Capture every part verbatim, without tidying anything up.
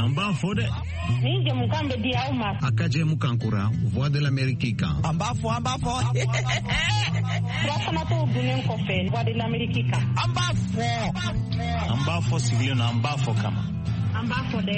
An b'a fɔ dɛ. Nin jɛmukan bɛ di aw ma. A ka jɛmukan kura Voix de l'Amérique kan. An b'a fɔ, an b'a fɔ. Furafanatɔw dunnen kɔfɛ Voix de l'Amérique kan. An b'a fɔ. An b'a fɔ sigilen na, an b'a fɔ kama. An b'a fɔ dɛ.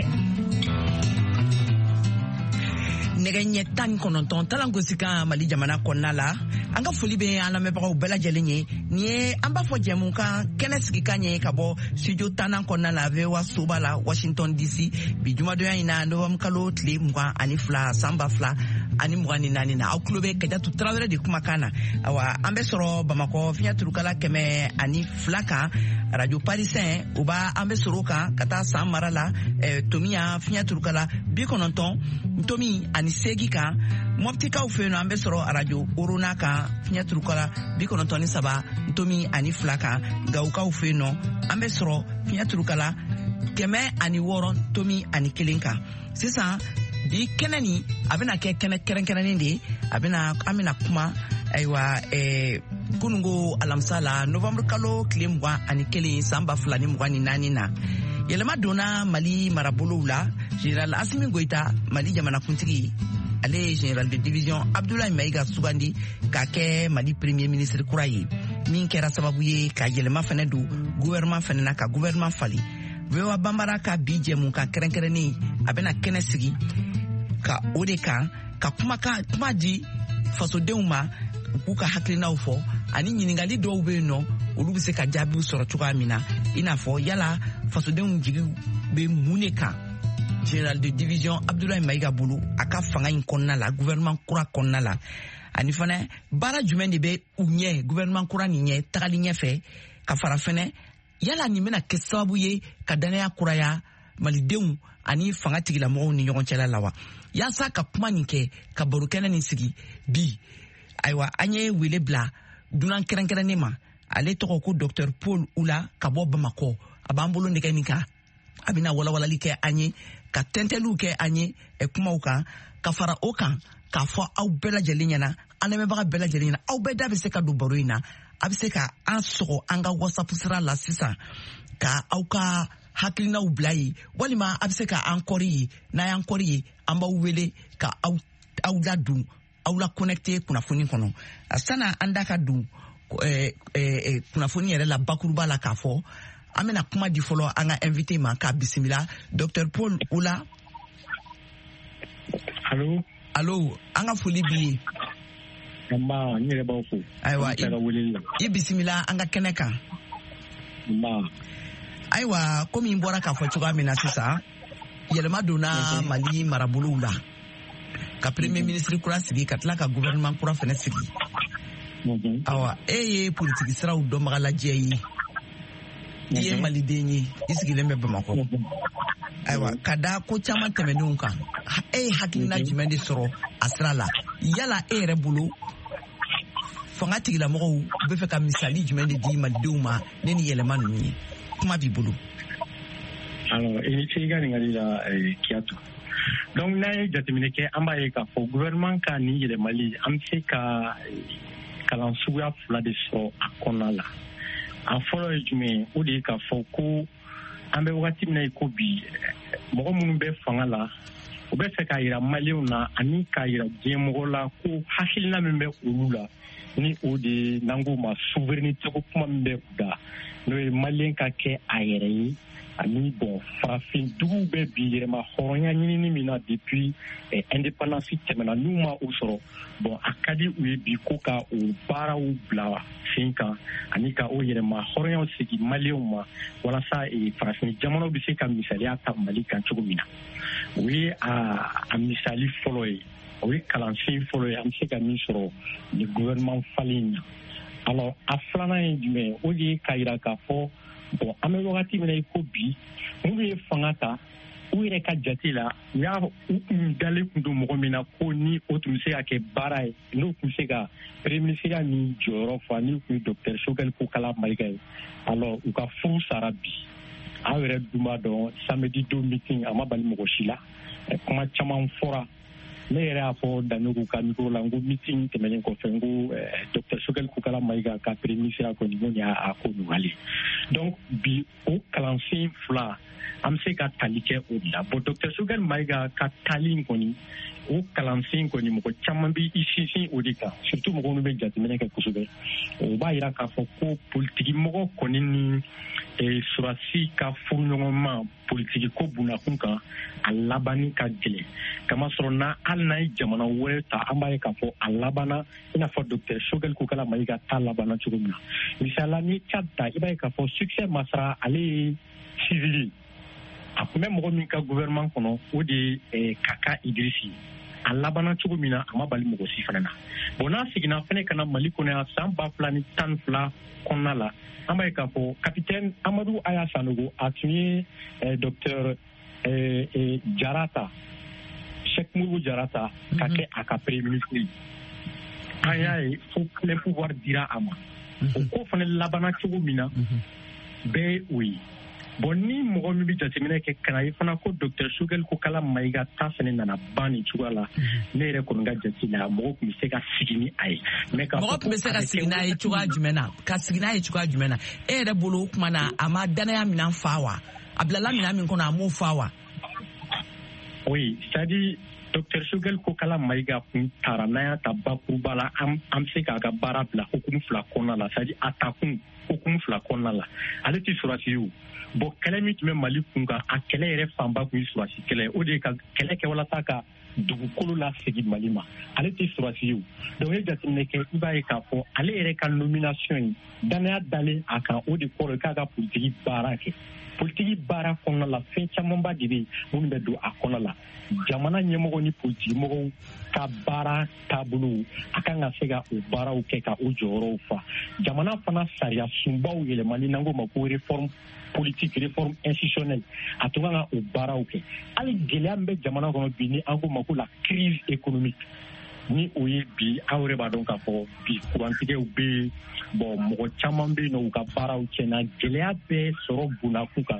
Nɛgɛ ɲɛ tan ni kɔnɔntɔn talangosi kan Mali jamana kɔnɔna la. An ka foli bɛ an lamɛnbagaw bɛɛ lajɛlen ye. Nin ye an b'a fɔ jɛmukan kɛnɛ sigikan ye ka bɔ studio tannan kɔnɔna la V O A soba la Washington D C bi jumadonya in na novembre kalo tile mugan ani fila san ba fila ani mugan ni naani na. Aw tulo bɛ Kajatu Tarawele de kumakan na. Awa an bɛ sɔrɔ Bamakɔ fiɲɛ turukala kɛmɛ ani fila kan Radio Parisien o b'a an bɛ sɔrɔ o kan ka taa San mara la eh, Tomiya fiɲɛ turukala bi kɔnɔntɔn Tomi ani seegin kan. Mɔptikaw fɛ yen nɔ an bɛ sɔrɔ Radio Orona kan fiɲɛ turukala bi kɔnɔntɔn ni saba Tomi ani fila kan. Gawukaw fɛ yen nɔ an bɛ sɔrɔ fiɲɛ turukala kɛmɛ ani wɔɔrɔ Tomi ani kelen kan. Sisan bi kɛnɛ nin a bɛna kɛ kɛnɛ kɛrɛnkɛrɛnnen de ye. A bɛna an bɛna kuma ayiwa eh, kununko alamisa la novembre kalo tile mugan ani kelen san ba fila ni mugan ni naani na. Yɛlɛma donna Mali marabolow la. Général Assimi Goïta, Mali jamanakuntigi, ale ye général de division Abdoulaye Maïga sugandi k'a kɛ Mali premier ministre kura ye, min kɛra sababu ye ka yɛlɛma fɛnɛ don gouvernement fɛnɛ na, ka gouvernement falen. V O A Banbara ka bi jɛmukan kɛrɛnkɛrɛnnen a bɛna kɛnɛ sigi ka o de kan, ka kuma kuma di fasodenw ma u k'u ka hakilinaw fɔ, ani ɲininkali dɔw bɛ yen nɔ olu bɛ se ka jaabiw sɔrɔ cogoya min na, i n'a fɔ yala fasodenw jigi bɛ mun de kan général de division Abdoulaye Maïga bolo a ka fanga in kɔnɔna la, gouvernement kura kɔnɔna la, ani fana baara jumɛn de bɛ u ɲɛ gouvernement kura nin ɲɛ tagali ɲɛfɛ, ka fara fɛnɛ yala nin bɛna kɛ sababu ye ka danaya kuraya malidenw ani fanga tigilamɔgɔw ni ɲɔgɔn cɛla la wa. Yaasa ka kuma nin kɛ, ka baro kɛnɛ nin sigi bi, ayiwa an ye wele bila dunan kɛrɛnkɛrɛnnen ma. Ale tɔgɔ ko Docteur Paul Oula ka bɔ Bamakɔ. A b'an bolo nɛgɛ nin kan, a bɛna walawalali kɛ an ye, ka tɛntɛliw kɛ an ye kumaw kan, ka fara o kan k'a fɔ aw bɛɛ lajɛlen ɲɛna, an lamɛnbaga bɛɛ lajɛlen ɲɛna, aw bɛɛ da bɛ se ka don baro in na. A bɛ se ka an sɔgɔ an ka WhatsApp sira la sisan ka aw ka hakilinaw bila yen, walima a bɛ se ka an kɔri ye. N'a y'an kɔri ye, an b'aw wele ka aw aw ladon, aw la connecté kunnafoni kɔnɔ. Sanni an da ka don eh, eh, kunnafoni yɛrɛ la bakuruba la k'a fɔ, an bɛna kuma di fɔlɔ an ka invité ma k'a bisimila. Docteur Paul Oula. Allo. Allo, an ka foli b'i ye. Nba, n yɛrɛ b'aw fo. Ayiwa, i bisimila an ka kɛnɛ kan. Nba. Ayiwa, komi n bɔra k'a fɔ cogoya min na sisan, yɛlɛma donna Mali marabolow la, ka premier ministre kura sigi, ka tila ka gouvernement kura fɛnɛ sigi. Awa, e ye politiki siraw dɔnbaga lajɛ ye, i ye maliden ye, i sigilen bɛ Bamakɔ. Ayiwa, ka da ko caman tɛmɛnenw kan, e ye hakilina jumɛn de sɔrɔ a sira la? Yala e yɛrɛ bolo fanga tigilamɔgɔw bɛ fɛ ka misali jumɛn de di malidenw ma ne ni yɛlɛma ninnu ye? Kuma b'i bolo. Alors, i ni ce i ka ɲininkali la, Kiyatu. Donc n'an ye jateminɛ kɛ, an b'a ye k'a fɔ gouvernement ka nin yɛlɛmali, an bɛ se ka kalan suguya fila de sɔrɔ a kɔnɔna la. A fɔlɔ ye jumɛn ye? O de ye k'a fɔ ko an bɛ wagati min na i ko bi, mɔgɔ minnu bɛ fanga la, u bɛ fɛ k'a yira maliyɛnw na ani k'a yira diɲɛmɔgɔ la ko hakilina min bɛ olu la, ni o de ye n'an k'o ma souveraineté ko kuma min bɛ u da, n'o ye maliyɛn ka kɛ a yɛrɛ ye, ani bon farafin duguw bɛ bi yɛrɛma hɔrɔnya ɲinini min na depuis eh, indépendance tɛmɛna, n'u ma o sɔrɔ, bon a ka di u ye bi ko ka o baaraw bila sen kan ani ka o yɛrɛma hɔrɔnyaw segin maliyɛnw ma, walasa eh, farafin jamanaw bɛ se ka misaliya ta Mali kan cogo min na. O ye a, a misali fɔlɔ ye, o ye kalansen fɔlɔ ye an bɛ se ka min sɔrɔ ni gouvernement falen in na. Alors a filanan ye jumɛn ye? O de ye k'a yira k'a fɔ bon an bɛ wagati min na i ko bi, minnu ye fanga ta u yɛrɛ ka jate la, u y'a u kun dalen kun don mɔgɔ min na ko ni o tun bɛ se ka kɛ baara ye, n'o tun bɛ se ka premier ministre ni jɔyɔrɔ fa, ni tun ye docteur Choguel Kokala Maïga ye. Alors u ka furu sara bi. Aw yɛrɛ dun b'a dɔn samedi don meeting a ma bali mɔgɔ si la, kuma caman fɔra. Ne yɛrɛ y'a fɔ Daɲogo ka micro la, n ko meeting tɛmɛnen kɔfɛ, n ko docteur Choguel Kokala Maïga ka premier ministre kɔni ko nin y'a ko nɔgɔyalen. Donc bi o kalansen fila an bɛ se ka tali kɛ o de la. Bon, docteur Choguel Maïga ka tali in kɔni, o kalansen kɔni, mɔgɔ caman bɛ i sinsin o de kan, surtout mɔgɔ minnu bɛ jateminɛ kɛ kosɛbɛ. O b'a yira k'a fɔ ko politiki mɔgɔ kɔni ni sɔrɔdasi ka furuɲɔgɔnma politiki ko bunakun kan, a labanni ka gɛlɛn, kamasɔrɔ n'a hali n'a ye jamana wɛrɛ ta, an b'a ye k'a fɔ a labanna i n'a fɔ docteur Choguel Kokalla Maïga ta labanna cogo min na. Misali la, n'i ye Tchad ta, i b'a ye k'a fɔ Succès Masra, ale ye civil, a tun bɛ mɔgɔ min ka gouvernement kɔnɔ, o de ye Kaka Idrisi. A labanna cogo min na, a ma bali mɔgɔ si fana na. Bon, n'a seginna fɛnɛ ka na Mali kɔnɔ yan san ba fila ni tan ni fila kɔnɔna la, an b'a ye k'a fɔ capitaine Amadou Haya Sanogo, a tun ye docteur Jara ta, Cheikh Modibo Jara ta ka kɛ a ka premier ministre ye. An y'a ye fo plein pouvoir dira a ma. O ko fana labanna cogo min na, bɛɛ ye o ye. Bon, ni mɔgɔ min bɛ jateminɛ kɛ ka na ye fana ko docteur Choguel Kokalla Maïga ta fana nana ban nin cogoya la, ne yɛrɛ kɔni ka jate la, mɔgɔ tun bɛ se ka sigi ni a ye. Mɔgɔ tun bɛ se ka sigi n'a ye cogoya jumɛn na? Ka sigi n'a ye cogoya jumɛn na? E yɛrɛ bolo, o tuma na, a ma danaya minɛn fa wa? A bilala minɛn min kɔnɔ, a m'o fa wa? Oui, c'est-à-dire docteur Choguel Kokalla Maïga kun taara, n'an y'a ta bakuruba la, an bɛ se k'a ka baara bila hukumu fila kɔnɔna la, c'est-à-dire a ta kun hukumu fila kɔnɔna la. Ale tɛ sɔrɔdasi ye o. Bon, kɛlɛ min tun bɛ Mali kun kan, a kɛlɛ yɛrɛ fanba kun ye sɔrɔdasi kɛlɛ ye. O de ye ka kɛlɛ kɛ walasa ka dugukolo lasegin Mali ma. Ale tɛ sɔrɔdasi ye o. Donc, e jateminɛ kɛ, i b'a ye k'a fɔ ale yɛrɛ ka nomination ye, danaya dalen a kan, o de kɔrɔ ye k'a ka politiki baara kɛ. Politiki baara kɔnɔna la, fɛn camanba de bɛ yen minnu bɛ don a kɔnɔ la. Jamana ɲɛmɔgɔ ni politiki mɔgɔw ka baara taabolo, a kan ka se ka o baaraw kɛ ka o jɔyɔrɔw fa. Jamana fana sariya sunbaw yɛlɛmali, n'an k'o ma ko réforme politique, réforme institutionnelle, a tun kan ka o baaraw kɛ. Hali gɛlɛya min bɛ jamana kɔnɔ bi, ni an k'o ma ko la crise économique, ni o ye bi, aw yɛrɛ b'a dɔn k'a fɔ bi kurantigɛw bɛ yen. Bon, mɔgɔ caman bɛ yen nɔ, u ka baaraw tiɲɛna. Gɛlɛya bɛ sɔrɔ bunakun kan,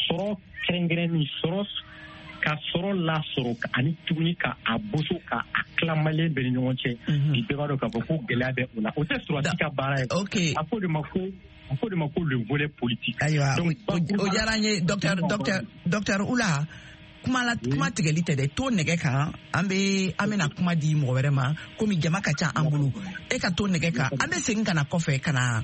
sɔrɔ kɛrɛnkɛrɛnni, sɔrɔ ka sɔrɔ lasɔrɔ ani tuguni ka a boso ka a tila maliyɛn bɛɛ ni ɲɔgɔn cɛ. Bi bɛɛ b'a dɔn k'a fɔ ko gɛlɛya bɛ o la. O tɛ sɔrɔdasi ka baara ye. A fɔ de ma ko a fɔ de ma ko le volet politique. Ayiwa, o diyara n ye, docteur docteur docteur Ula. Kuma la, kuma tigɛli tɛ dɛ, to nɛgɛ kan, an bɛ an bɛna kuma di mɔgɔ wɛrɛ ma, komi jama ka ca an bolo. E ka to nɛgɛ kan, an bɛ segin ka na kɔfɛ ka na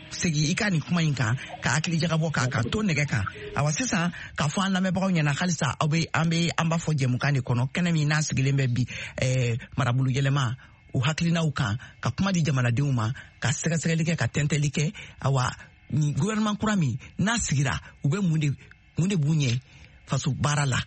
segin i ka nin kuma in kan ka hakili jagabɔ k'a ka to nɛgɛ kan. Awa, sisan k'a fɔ an lamɛnbagaw ɲɛna halisa, aw bɛ an bɛ an b'a fɔ jɛmukan de kɔnɔ, kɛnɛ min n'a sigilen bɛ bi ɛɛ marabolo yɛlɛma o hakilinaw kan, ka kuma di jamanadenw ma, ka sɛgɛsɛgɛli kɛ, ka tɛntɛli kɛ. Awa, nin gouvernement kura min n'a sigira, u bɛ mun de mun de b'u ɲɛ faso baara la?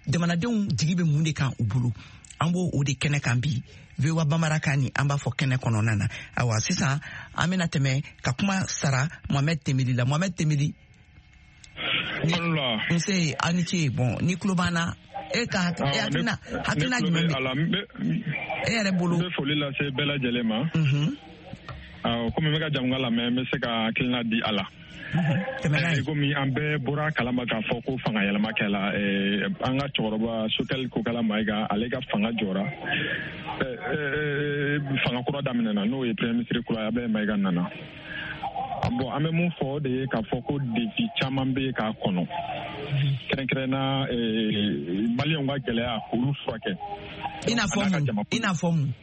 Jamanadenw jigi bɛ mun de kan u bolo? An b'o o de kɛnɛ kan bi V O A Bambara kan ni an b'a fɔ kɛnɛ kɔnɔna na. Awa, sisan an bɛna tɛmɛ ka kuma sara Mohamed Temeli la. Mohamed Temeli, nse, aw ni ce. Bon, ni tulo b'an na, e ka hakilina hakilina jumɛn bɛ e yɛrɛ bolo? N bɛ foli lase bɛɛ lajɛlen ma. Awɔ, komi n bɛ ka jamukan lamɛn, n bɛ se ka hakilina di a la. Komi an bɛɛ bɔra kalama k'a fɔ ko fanga yɛlɛma kɛla, an ka cɛkɔrɔba Choguel Kokalla Maïga, ale ka fanga jɔra, fanga kura daminɛna, n'o ye premier ministre kura ye, Abdoulaye Maïga nana. Bon, an bɛ mun fɔ o de ye k'a fɔ ko défi caman bɛ yen k'a kɔnɔ, kɛrɛnkɛrɛnna maliyɛnw ka gɛlɛya k'olu furakɛ. I n'a fɔ mun? I n'a fɔ mun?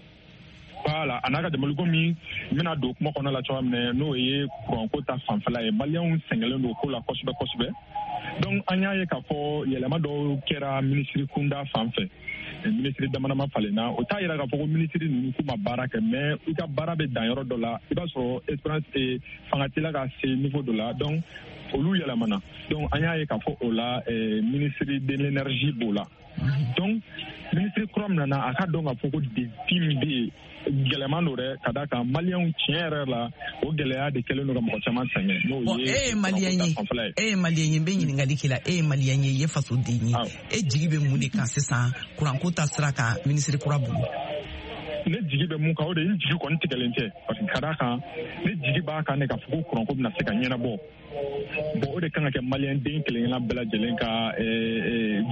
Voilà, a n'a ka jamana, komi n bɛna don kuma kɔnɔ la cogoya min na, n'o ye kuranko ta fanfɛla ye, maliyɛnw sɛgɛnlen don ko la kosɛbɛ kosɛbɛ. Donc an y'a ye k'a fɔ yɛlɛma dɔw kɛra minisiri kunda fan fɛ, minisiri damadama falenna. O t'a yira k'a fɔ ko minisiri ninnu k'u ma baara kɛ, mais i ka baara bɛ dan yɔrɔ dɔ la, i b'a sɔrɔ espérance fanga t'i la ka se niveau dɔ la, donc olu yɛlɛmana. Donc an y'a ye k'a fɔ o la, minisiri de l'énergie b'o la. Donc minisiri kura min nana, a ka dɔn k'a fɔ ko défi min bɛ yen, gɛlɛman don dɛ, ka d'a kan maliyɛnw tiɲɛ yɛrɛ la, o gɛlɛya de kɛlen don ka mɔgɔ caman sɛgɛn. N'o ye e ye maliyɛn ye, e ye maliyɛn ye, n bɛ ɲininkali k'i la, e ye maliyɛn ye, i ye fasoden ye, e jigi bɛ mun de kan sisan kuranko ta sira kan minisiri kura bolo? Ne jigi bɛ mun kan, o de ye, n jigi kɔni tigɛlen tɛ, parce que ka d'a kan ne jigi b'a kan de k'a fɔ ko kuranko bɛna se ka ɲɛnabɔ. Bon, o de kan ka kɛ maliyɛn den kelen kelenna bɛɛ lajɛlen ka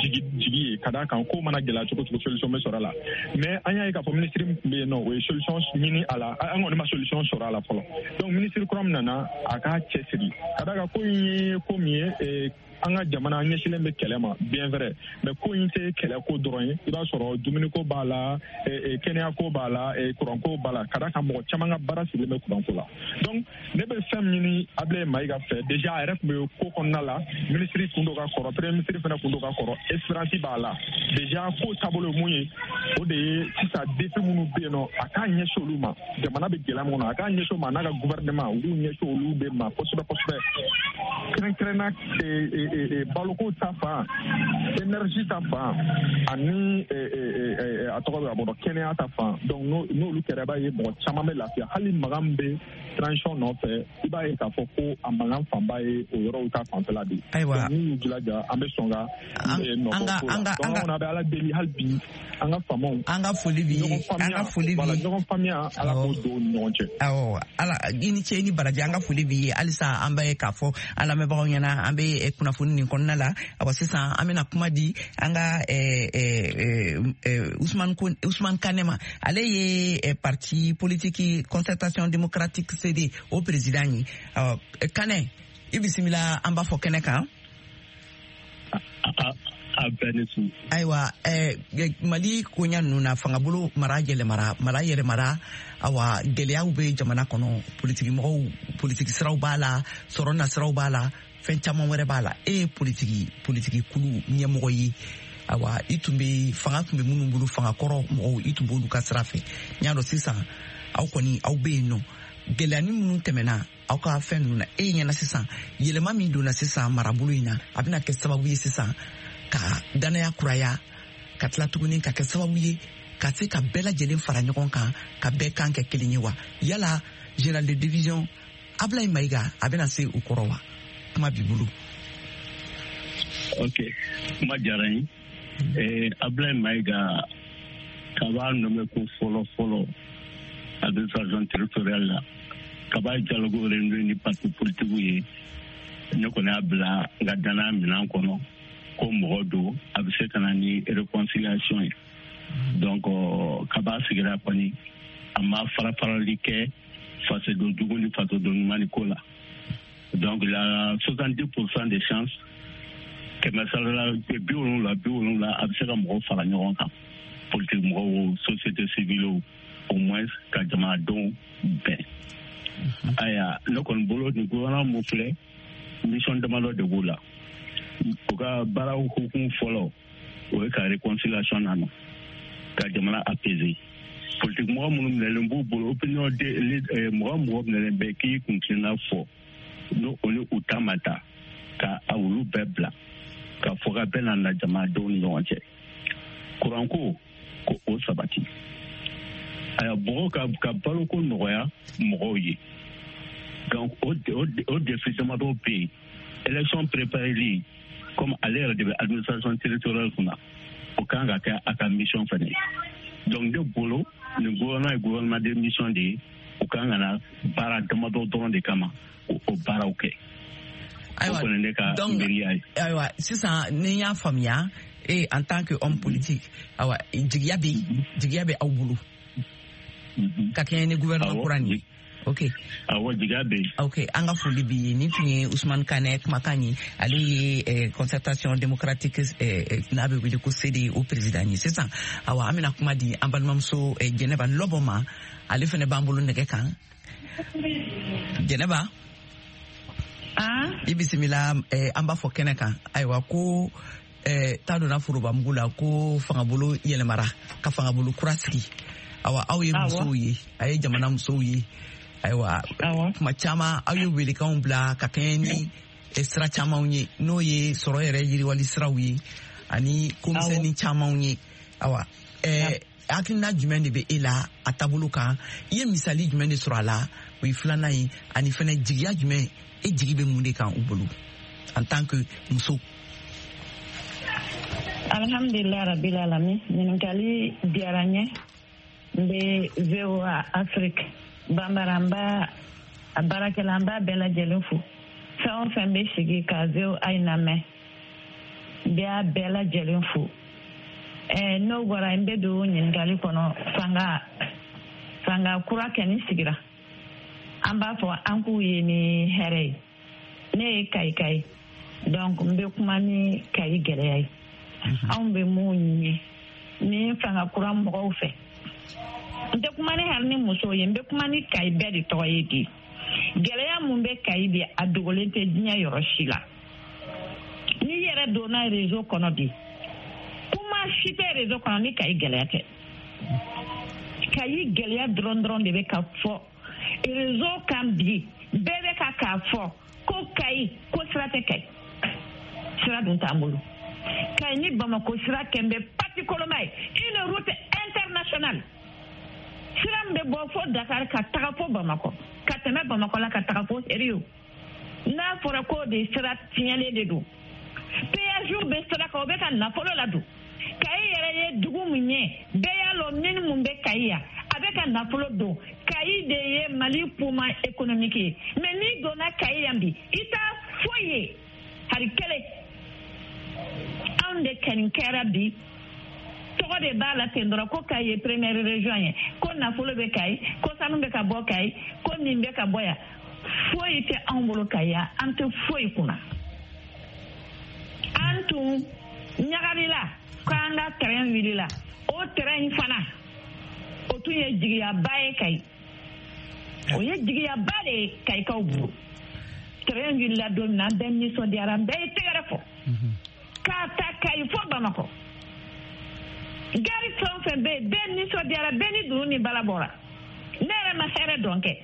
jigi jigi ye, ka d'a kan ko mana gɛlɛya cogo cogo, solution bɛ sɔrɔ a la. Mais an y'a ye k'a fɔ minisiri min tun bɛ yen nɔ, o ye solution ɲini a la, an kɔni ma solution sɔrɔ a la fɔlɔ. Donc minisiri kura min nana, a k'a cɛsiri, ka d'a kan ko in ye ko min ye, an ka jamana ɲɛsinnen bɛ kɛlɛ ma, bien vrai, mais ko in tɛ kɛlɛko dɔrɔn ye. I b'a sɔrɔ dumuniko b'a la, kɛnɛyako b'a la, kuranko b'a la, ka d'a kan mɔgɔ caman ka baara sigilen bɛ kuranko la. Donc ne bɛ fɛn min ɲini Ablaye Mayiga fɛ, déjà a yɛrɛ tun bɛ ko kɔnɔna la, minisiri kun don ka kɔrɔ, premier ministre fana kun don ka kɔrɔ, expérience b'a la. Déjà ko taabolo ye mun ye, o de ye sisan défi minnu bɛ yen nɔ, a k'a ɲɛsin olu ma. Jamana bɛ gɛlɛya min kɔnɔ, a k'a ɲɛsin o ma, n'a ka gouvernement, u k'u ɲɛsin olu de ma kosɛbɛ kosɛbɛ, kɛrɛnkɛrɛnna baloko ta fan, énergie ta fan, ani a tɔgɔ bɛ a bɔra kɛnɛya ta fan. Donc n'olu kɛra, i b'a ye mɔgɔ caman bɛ lafiya. Hali magan min bɛ transition nɔfɛ, i b'a ye k'a fɔ ko a mankan fanba ye o yɔrɔw ta fanfɛla de ye. Ayiwa, n'u y'u jilaja, an bɛ sɔn ka nɔbɔ ko la. Donc an kɔni bɛ Ala deli hali bi, an ka faamaw, an ka foli b'i ye, an ka foli b'i ye, ɲɔgɔn faamuya, Ala k'o don u ni ɲɔgɔn cɛ. Awɔ, Ala i ni ce, i ni baraji. An ka foli b'i ye. Halisa an bɛ k'a fɔ an lamɛnbagaw ɲɛna, an bɛ kunnafoni nin kɔnɔna la. Awa, sisan an bɛna kuma di an ka Ousmane Ousmane Kane ma. Ale ye parti politique Concertation démocratique C D o président ye. Kane, i bisimila, an b'a fɔ kɛnɛ kan. A bɛɛ ni su. Ayiwa, Mali koɲa ninnu na, fangabolo mara yɛlɛmara, mara yɛlɛmara. Awa, gɛlɛyaw bɛ jamana kɔnɔ, politiki mɔgɔw, politiki siraw b'a la, sɔrɔ nasiraw b'a la, fɛn caman wɛrɛ b'a la. E ye politiki politiki kulu ɲɛmɔgɔ ye. Awa, i tun bɛ fanga tun bɛ minnu bolo, fanga kɔrɔ mɔgɔw, i tun b'olu ka sira fɛ. N y'a dɔn sisan aw kɔni aw bɛ yen nɔ, gɛlɛyanin minnu tɛmɛna aw ka fɛn ninnu na, e ɲɛna sisan yɛlɛma min donna sisan marabolo in na, a bɛna kɛ sababu ye sisan ka danaya kuraya, ka tila tuguni ka kɛ sababu ye ka se ka bɛɛ lajɛlen fara ɲɔgɔn kan, ka bɛɛ kan kɛ kelen ye wa? Yala général de division Ablaye Mayiga, a bɛna se o kɔrɔ wa? Kuma b'i bolo. Ok, kuma diyara n ye. Ablaye Mayiga, kaba nommé ko fɔlɔ fɔlɔ administration territoriale la, kaba dialogue réuni ni parti politique ye, ne kɔni y'a bila n ka danaya minɛn kɔnɔ ko mɔgɔ don a bɛ se ka na ni réconciliation ye. Donc kaba sigira kɔni, a ma fara farali kɛ fasoden jugu ni fasoden ɲuman ni ko la. Donc la soixante-dix pour cent des chances, kɛmɛ sara la bi wolonwula bi wolonwula, a bɛ se ka mɔgɔw fara ɲɔgɔn kan, politique mɔgɔw, société civile, au moins ka jamanadenw bɛn. Ayiwa, ne kɔni bolo, nin gouvernement mun filɛ, mission damadɔ de b'u la. U ka baaraw hukumu fɔlɔ, o ye ka réconciliation nana, ka jamana apaiser. Politique mɔgɔ minnu minɛlen b'u bolo, opinion de mɔgɔ mɔgɔ minɛlen bɛ k'i kun tilenna fɔ, n'o o ni u ta ma ta, ka a olu bɛɛ bila, ka fɔ ka bɛɛ nana jamanadenw ni ɲɔgɔn cɛ. Kuranko, ko o sabati. Ayiwa, mɔgɔw ka ka baloko nɔgɔya mɔgɔw ye. Donc o o défi damadɔ bɛ yen. Élection préparée, comme ale yɛrɛ de bɛ administration territoriale kunna, o kan ka kɛ a ka mission fɛnɛ ye. Donc ne bolo, nin gouvernement ye gouvernement de mission de ye, o kan ka na baara damadɔ dɔrɔn de kama, o baaraw kɛ. Ayiwa, donc ayiwa, sisan ni n y'a faamuya, e en tant que homme politique, ayiwa, jigiya bɛ jigiya bɛ aw bolo ka kɛɲɛ ni gouvernement kura nin ye. Ok. Awɔ, jigiya bɛ yen. Ok, an ka foli b'i ye. Nin tun ye Ousmane Kane kumakan ye. Ale ye eh, concertation démocratique eh, n'a bɛ wele ko C D o président ye. Sisan awa, an bɛna kuma di an balimamuso eh, Jɛnɛba Lɔbɔ ma. Ale fana b'an bolo nɛgɛ kan. Jɛnɛba, i bisimila, eh, an b'a fɔ kɛnɛ kan. Ayiwa, ko eh, ta donna forobamugu la, ko fangabolo yɛlɛmara ka fangabolo kura sigi. Awa, aw ye musow ye, a ye jamana musow ye. Ayiwa, kuma caman aw ye welekanw bila ka kɛɲɛ ni sira camanw ye, n'o ye sɔrɔ yɛrɛ yiriwali siraw ye ani komisɛnnin camanw ye. Awa, eh, hakilina jumɛn de bɛ e la a taabolo kan? I ye misali jumɛn de sɔrɔ a la? O ye filanan ye. Ani fɛnɛ jigiya jumɛn, e jigi bɛ mun de kan u bolo en tant que muso? Alhamdulillah rabbil alamin. Ɲininkali diyara n ye. N bɛ V O A Afrique Bambara, n b'a a baarakɛla, n b'a bɛɛ lajɛlen fo. Fɛn o fɛn bɛ sigi ka V O A lamɛn, n bɛ a bɛɛ lajɛlen fo. Ɛɛ n'o bɔra, n bɛ don ɲininkali kɔnɔ. Fanga fanga kura kɛni sigira, an b'a fɔ an k'u ye ni hɛrɛ ye. Ne ye Kayika ye, donc n bɛ kuma ni Kayi gɛlɛya ye. Anw bɛ mun ɲini ni fanga kura mɔgɔw fɛ? N tɛ kuma ni hali ni musow ye, n bɛ kuma ni Kayi bɛɛ de tɔgɔ ye bi. Gɛlɛya mun bɛ Kayi bi, a dogolen tɛ diɲɛ yɔrɔ si la. N'i yɛrɛ donna réseau kɔnɔ bi, kuma si tɛ réseau kɔnɔ ni Kayi gɛlɛya tɛ. Kayi gɛlɛya dɔrɔn dɔrɔn de bɛ ka fɔ réseau kan bi. Bɛɛ bɛ ka k'a fɔ ko Kayi, ko sira tɛ Kayi, sira dun t'an bolo. Kayi ni Bamako sira kɛn bɛ pati koloma ye, une route internationale. Sira min bɛ bɔ fo Dakar ka taga fo Bamakɔ, ka tɛmɛ Bamakɔ la ka taga fo Rio. N'a fɔra k'o de sira tiɲɛlen de don, péage bɛ sira kan, o bɛ ka nafolo ladon. Kayi yɛrɛ ye dugu min ye, bɛɛ y'a lɔn mine mun bɛ Kayi yan, a bɛ ka nafolo don. Kayi de ye Mali poumon économique ye. Mais n'i donna Kayi yan bi, i t'a foyi ye, hari kelen. Anw de kɛni kɛra bi, tɔgɔ de b'a la ten dɔrɔn ko Kayi ye première région ye, ko nafolo bɛ Kayi, ko sanu bɛ ka bɔ Kayi, ko nin bɛ ka bɔ yan. Foyi tɛ anw bolo Kayi yan, an tɛ foyi kunna. An tun ɲagalila k'an ka terrain wulila, o terrain in fana o tun ye jigiyaba ye Kayi, o ye jigiyaba de ye Kayikaw bolo. Terrain wulila don min na, an bɛɛ nisɔndiyara, an bɛɛ ye tɛgɛrɛ fɔ k'a ta Kayi fo Bamakɔ. Gari fɛn o fɛn bɛ yen, bɛɛ nisɔndiyara, bɛɛ ni dunu ni bala bɔra. Ne yɛrɛ ma hɛrɛ dɔn kɛ,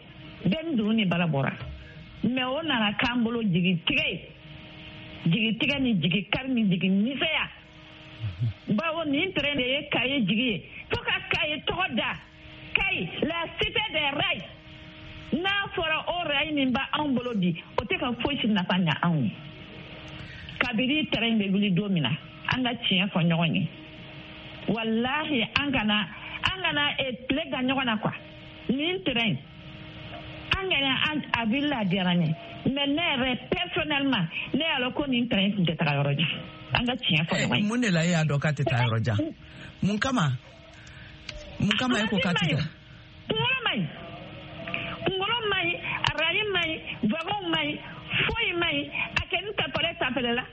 bɛɛ ni dunu ni bala bɔra. Mais o nana k'an bolo jigitigɛ ye, jigitigɛ ni jigikari ni jigi misɛnya. Bawo nin train de ye Kayi jigi ye, fo ka Kayi tɔgɔ da Kayi, la cité des rails. N'a fɔra o rail min b'anw bolo bi, o tɛ ka foyi si nafa ɲa anw ye. Kabini train bɛ wuli don min na, an ka tiɲɛ fɔ ɲɔgɔn ye. Walahi, an kana an kana tile ka ɲɔgɔn na quoi. Nin train, an kana an a wulila, a diyara n ye, mais ne yɛrɛ personnellement, ne y'a lɔn ko nin train tun tɛ taga yɔrɔ jan. An ka tiɲɛ fɔ ɲɔgɔn ye. Mun de la e y'a dɔn k'a tɛ taa yɔrɔ jan? Mun kama? Mun kama e ko k'a tɛ taa? Kunkolo man ɲi, kunkolo man ɲi, arayi man ɲi, wagon man ɲi, foyi man ɲi. A kɛ ni tapɛlɛ tapɛlɛ la.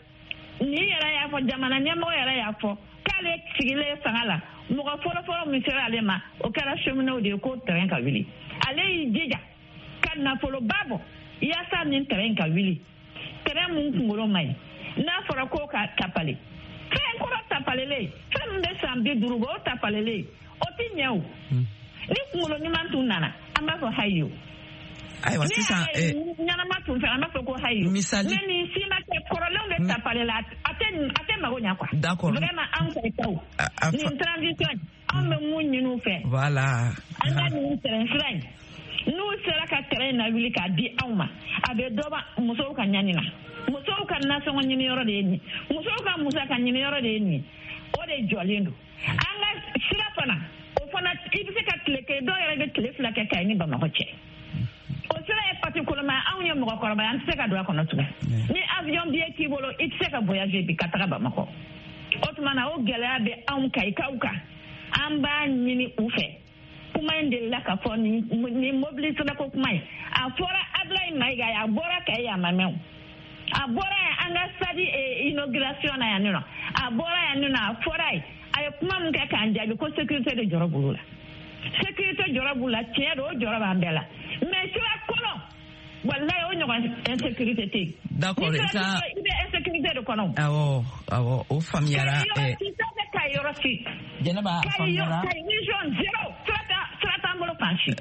Nin yɛrɛ y'a fɔ, jamana ɲɛmɔgɔ yɛrɛ y'a fɔ k'ale sigilen fanga la, mɔgɔ fɔlɔfɔlɔ min sera ale ma, o kɛra cheminot de ye, ko train ka wuli. Ale y'i jija ka nafoloba bɔ yaasa nin train ka wuli. Train mun kunkolo man ɲi, n'a fɔra ko ka tapale, fɛn kɔrɔ tapalelen, fɛn min bɛ san bi duuru bɔ, o tapalelen, o ti ɲɛ o. Ni kunkolo ɲuman tun nana, an b'a fɔ hayi o. Ayiwa sisan, ɲɛnama tun fɛ, an b'a fɔ ko hayi. Misali, ne ni si ma kɛ kɔrɔlenw de tapale la, a tɛ a tɛ mago ɲa quoi. D'accord. Vraiment, an Kayikaw, nin transition, anw bɛ mun ɲini u fɛ? Voilà. An ka nin train sira in, n'u sera ka train in lawuli k'a di anw ma, a bɛ dɔ bɔ musow ka ɲani na. Musow ka nasɔngɔ ɲini yɔrɔ de ye nin, musow ka musaka ɲini yɔrɔ de ye nin, o de jɔlen don. An ka sira fana, o fana i bɛ se ka tile kelen, dɔw yɛrɛ bɛ tile fila kɛ Kayi ni Bamakɔ cɛ. O sira ye pati koloma, anw ye mɔgɔkɔrɔba ye, an tɛ se ka don a kɔnɔ tugun. Ni avion billet t'i bolo, i tɛ se ka voyager bi ka taga Bamakɔ. O tuma na, o gɛlɛya bɛ anw Kayikaw kan. An b'a ɲini u fɛ. Kuma in delila ka fɔ, nin nin mobili sirako kuma in, a fɔra Ablaye Mayiga ye, a bɔra Kayi, a ma mɛn o. A bɔra yan an ka stade inauguration na yan nɔ, a bɔra yan nɔ, a fɔra ye, a ye kuma min kɛ k'an jaabi ko sécurité de jɔrɔ b'olu la. Sécurité jɔrɔ b'u la, tiɲɛ don, o jɔrɔ b'an bɛɛ la. Mais sira kɔnɔ, walayi, o ɲɔgɔn insécurité tɛ yen. D'accord, i bɛ insécurité de kɔnɔ. Awɔ, awɔ, o faamuyara. Kayi yɔrɔ si, sira tɛ Kayi yɔrɔ si. Jɛnɛba, a faamuyara. Kayi région zéro, sira tɛ sira t'an bolo fan si.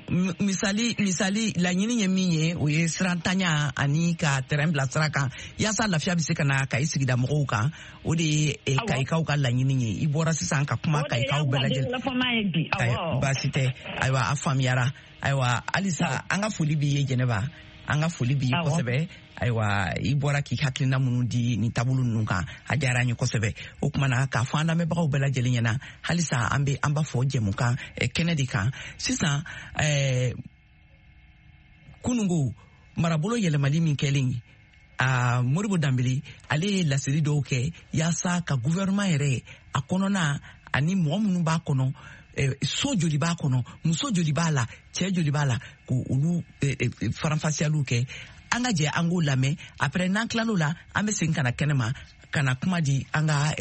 Misali, misali, laɲini ye min ye, o ye sirantanya ani ka terrain bila sira kan yaasa lafiya bɛ se ka na Kayi sigida mɔgɔw kan. O de ye Kayikaw ka laɲini ye. I bɔra sisan ka kuma Kayikaw bɛɛ lajɛlen. Baasi tɛ. Ayiwa, a faamuyara. Ayiwa, halisa an ka foli b'i ye Jɛnɛba. An ka foli b'i ye kosɛbɛ. Ayiwa, i bɔra k'i hakilina minnu di nin taabolo ninnu kan, a diyara an ye kosɛbɛ. O tuma na, k'a fɔ an lamɛnbagaw bɛɛ lajɛlen ɲɛna, halisa an bɛ an b'a fɔ jɛmukan kɛnɛ de kan sisan. Ɛɛ kununko marabolo yɛlɛmali min kɛlen, uh, Modibo Danbele, ale ye laseli dɔw kɛ yaasa ka gouvernement yɛrɛ a kɔnɔna ani mɔgɔ minnu b'a kɔnɔ, so joli b'a kɔnɔ, muso joli b'a la, cɛ joli b'a la, ko olu faranfasiyaliw kɛ. An ka jɛ an k'o lamɛn. Après n'an tilal'o la, an bɛ segin ka na kɛnɛ ma ka na kuma di an ka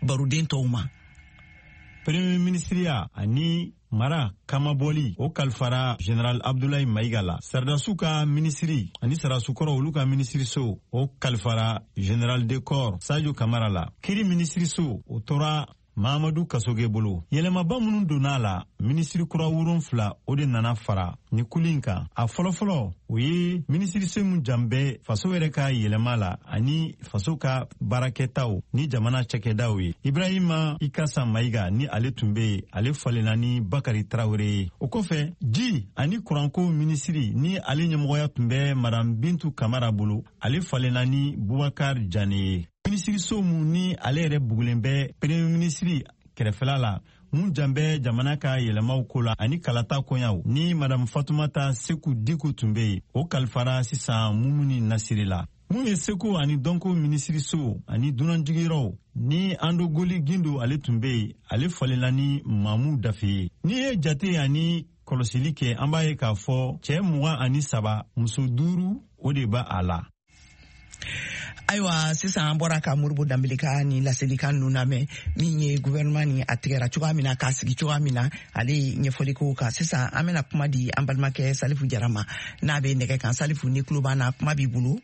baroden tɔw ma. Premier ministre ani mara kamabɔli o kalifara Général Abdoulaye Maïga la. Sardasuw ka minisiri ani sardasukɔrɔ olu ka minisiriso o kalifara Général de corps Sadio Kamara la. Kiri minisiriso o tora Mahamadu Kasoge bolo. Yɛlɛmaba minnu donna a la, minisiri kura wolonfila o de nana fara ni kuli in kan. A fɔlɔfɔlɔ o ye minisiriso min jan bɛ faso yɛrɛ ka yɛlɛma la ani faso ka baarakɛtaw ni jamana cakɛdaw ye. Ibrahima Ikasa Mayiga ni ale tun bɛ yen, ale falenna ni Bakari Tarawele ye. O kɔfɛ, ji ani kuranko minisiri ni ale ɲɛmɔgɔya tun bɛ Madame Bintu Kamara bolo, ale falenna ni Bubakar Jane ye. Minisiriso mun ni ale yɛrɛ bugulen bɛ premier minisiri kɛrɛfɛla la, mun jan bɛ jamana ka yɛlɛmaw ko la ani kalata koɲaw, ni Madame Fatumata Seku Diku tun bɛ yen, o kalifara sisan Mumuni Nasiri la. Mun ye seko ani dɔnko minisiriso ani dunanjigiyɔrɔw ni Andogoli Gindo ale tun bɛ yen, ale falenna ni Mamu Dafe ye. N'i ye jate ani kɔlɔsili kɛ, an b'a ye k'a fɔ cɛ mugan ani saba, muso duuru o de b'a a la. Ayiwa, sisan an bɔra ka Modibo Danbele ka ni laselikan ninnu lamɛn, min ye gouvernement ni a tigɛra cogoya min na, k'a sigi cogoya min na, ale ye ɲɛfɔli k'o kan. Sisan an bɛna kuma di an balimakɛ Salifu Jara ma, n'a bɛ nɛgɛ kan. Salifu, ni tulo b'an na, kuma b'i bolo.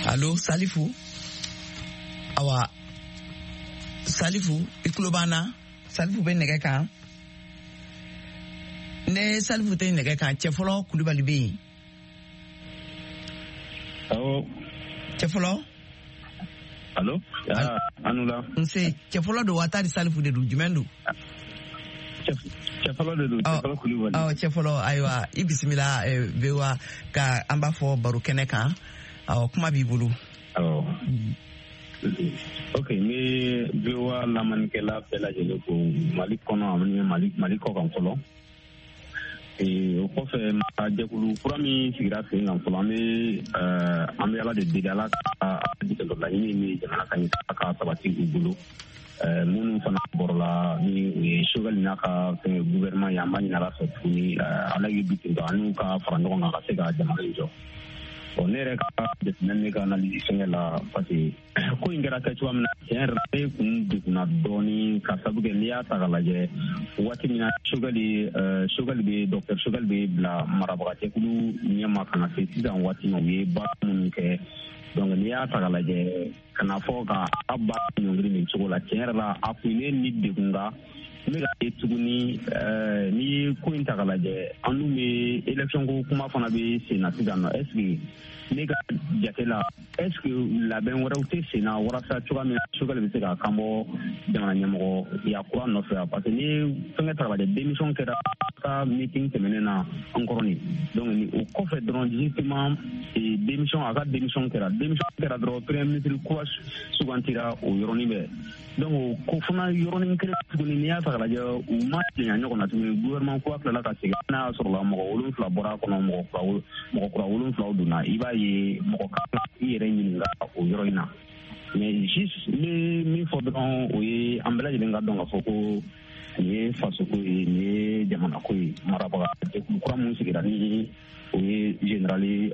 Allo Salifu? Awa, Salifu, i tulo b'an na? Salifu bɛ nɛgɛ kan. Ne Salifu tɛ nɛgɛ kan, Cɛfɔlɔ Kulubali bɛ yen. Awɔ. Cɛfɔlɔ? Allo? Anula. Nse, Cɛfɔlɔ don wa tari Salifu de don, jumɛn don? Cɛfɔlɔ de don, Cɛfɔlɔ Kulubali. Ɔ, Cɛfɔlɔ, ayiwa, i bisimila V O A ka an b'a fɔ baro kɛnɛ kan. Awɔ, kuma b'i bolo. Awɔ. Ok, n bɛ V O A lamɛnnikɛla bɛɛ lajɛlen fo Mali kɔnɔ ani Mali Mali kɔ kan fɔlɔ. O kɔfɛ, jɛkulu kura min sigira sen kan fɔlɔ, an bɛ an bɛ Ala de deli, Ala ka laɲini min jamana ka ɲɛ ka sabati u bolo. Minnu fana bɔrɔla ni u ye Choguel n'a ka fɛn gouvernement ye, an b'a ɲini Ala fɛ tuguni, Ala ye bi ten an n'u ka fara ɲɔgɔn kan ka se ka jamana in jɔ. Bon, ne yɛrɛ ka jateminɛ, ne ka analyse fɛngɛ la, parce que ko in kɛra kɛ cogoya min na, tiɲɛ yɛrɛ la ne kun degunna dɔɔni, ka sabu kɛ n'i y'a ta k'a lajɛ, waati min na Choguel Choguel bɛ docteur Choguel bɛ bila marabagajɛkulu ɲɛma ka na se sisan waati ma, u ye baara minnu kɛ. Donc n'i y'a ta k'a lajɛ, ka na fɔ ka a baara ɲɔngiri nin cogo la, tiɲɛ yɛrɛ la a kun ye ne ni degun. Nka n bɛ ka ye tuguni, n'i ye ko in ta k'a lajɛ, an dun bɛ élection ko kuma fana bɛ sen na sisan nɔ. Est ce que ne ka jate la, est ce que labɛn wɛrɛw tɛ sen na walasa cogoya min na Choguel bɛ se ka kan bɔ jamana ɲɛmɔgɔya kura nɔfɛ? Parce que n'i ye fɛnkɛ ta k'a lajɛ, démission kɛra ka meeting tɛmɛnen na an kɔrɔ nin. Donc ni o kɔfɛ dɔrɔn, justement démission, a ka démission kɛra démission kɛra dɔrɔn, premier ministre kura sugantira o yɔrɔnin bɛɛ. Donc ko fana yɔrɔnin kelen tuguni, n'i y'a ta k'a lajɛ, u ma janya ɲɔgɔn na tuguni, gouvernement kura tilala ka segin, n'a y'a sɔrɔ la mɔgɔ wolonfila bɔra a kɔnɔ, mɔgɔ kura mɔgɔ kura wolonfilaw donna. I b'a ye mɔgɔ kan ka i yɛrɛ ɲininka o yɔrɔ in na. Mais juste n bɛ min fɔ dɔrɔn, o ye an bɛɛ lajɛlen ka dɔn k'a fɔ ko nin ye fasoko ye, nin ye jamanako ye. Marabaga jɛkulu kura mun sigira ni o ye général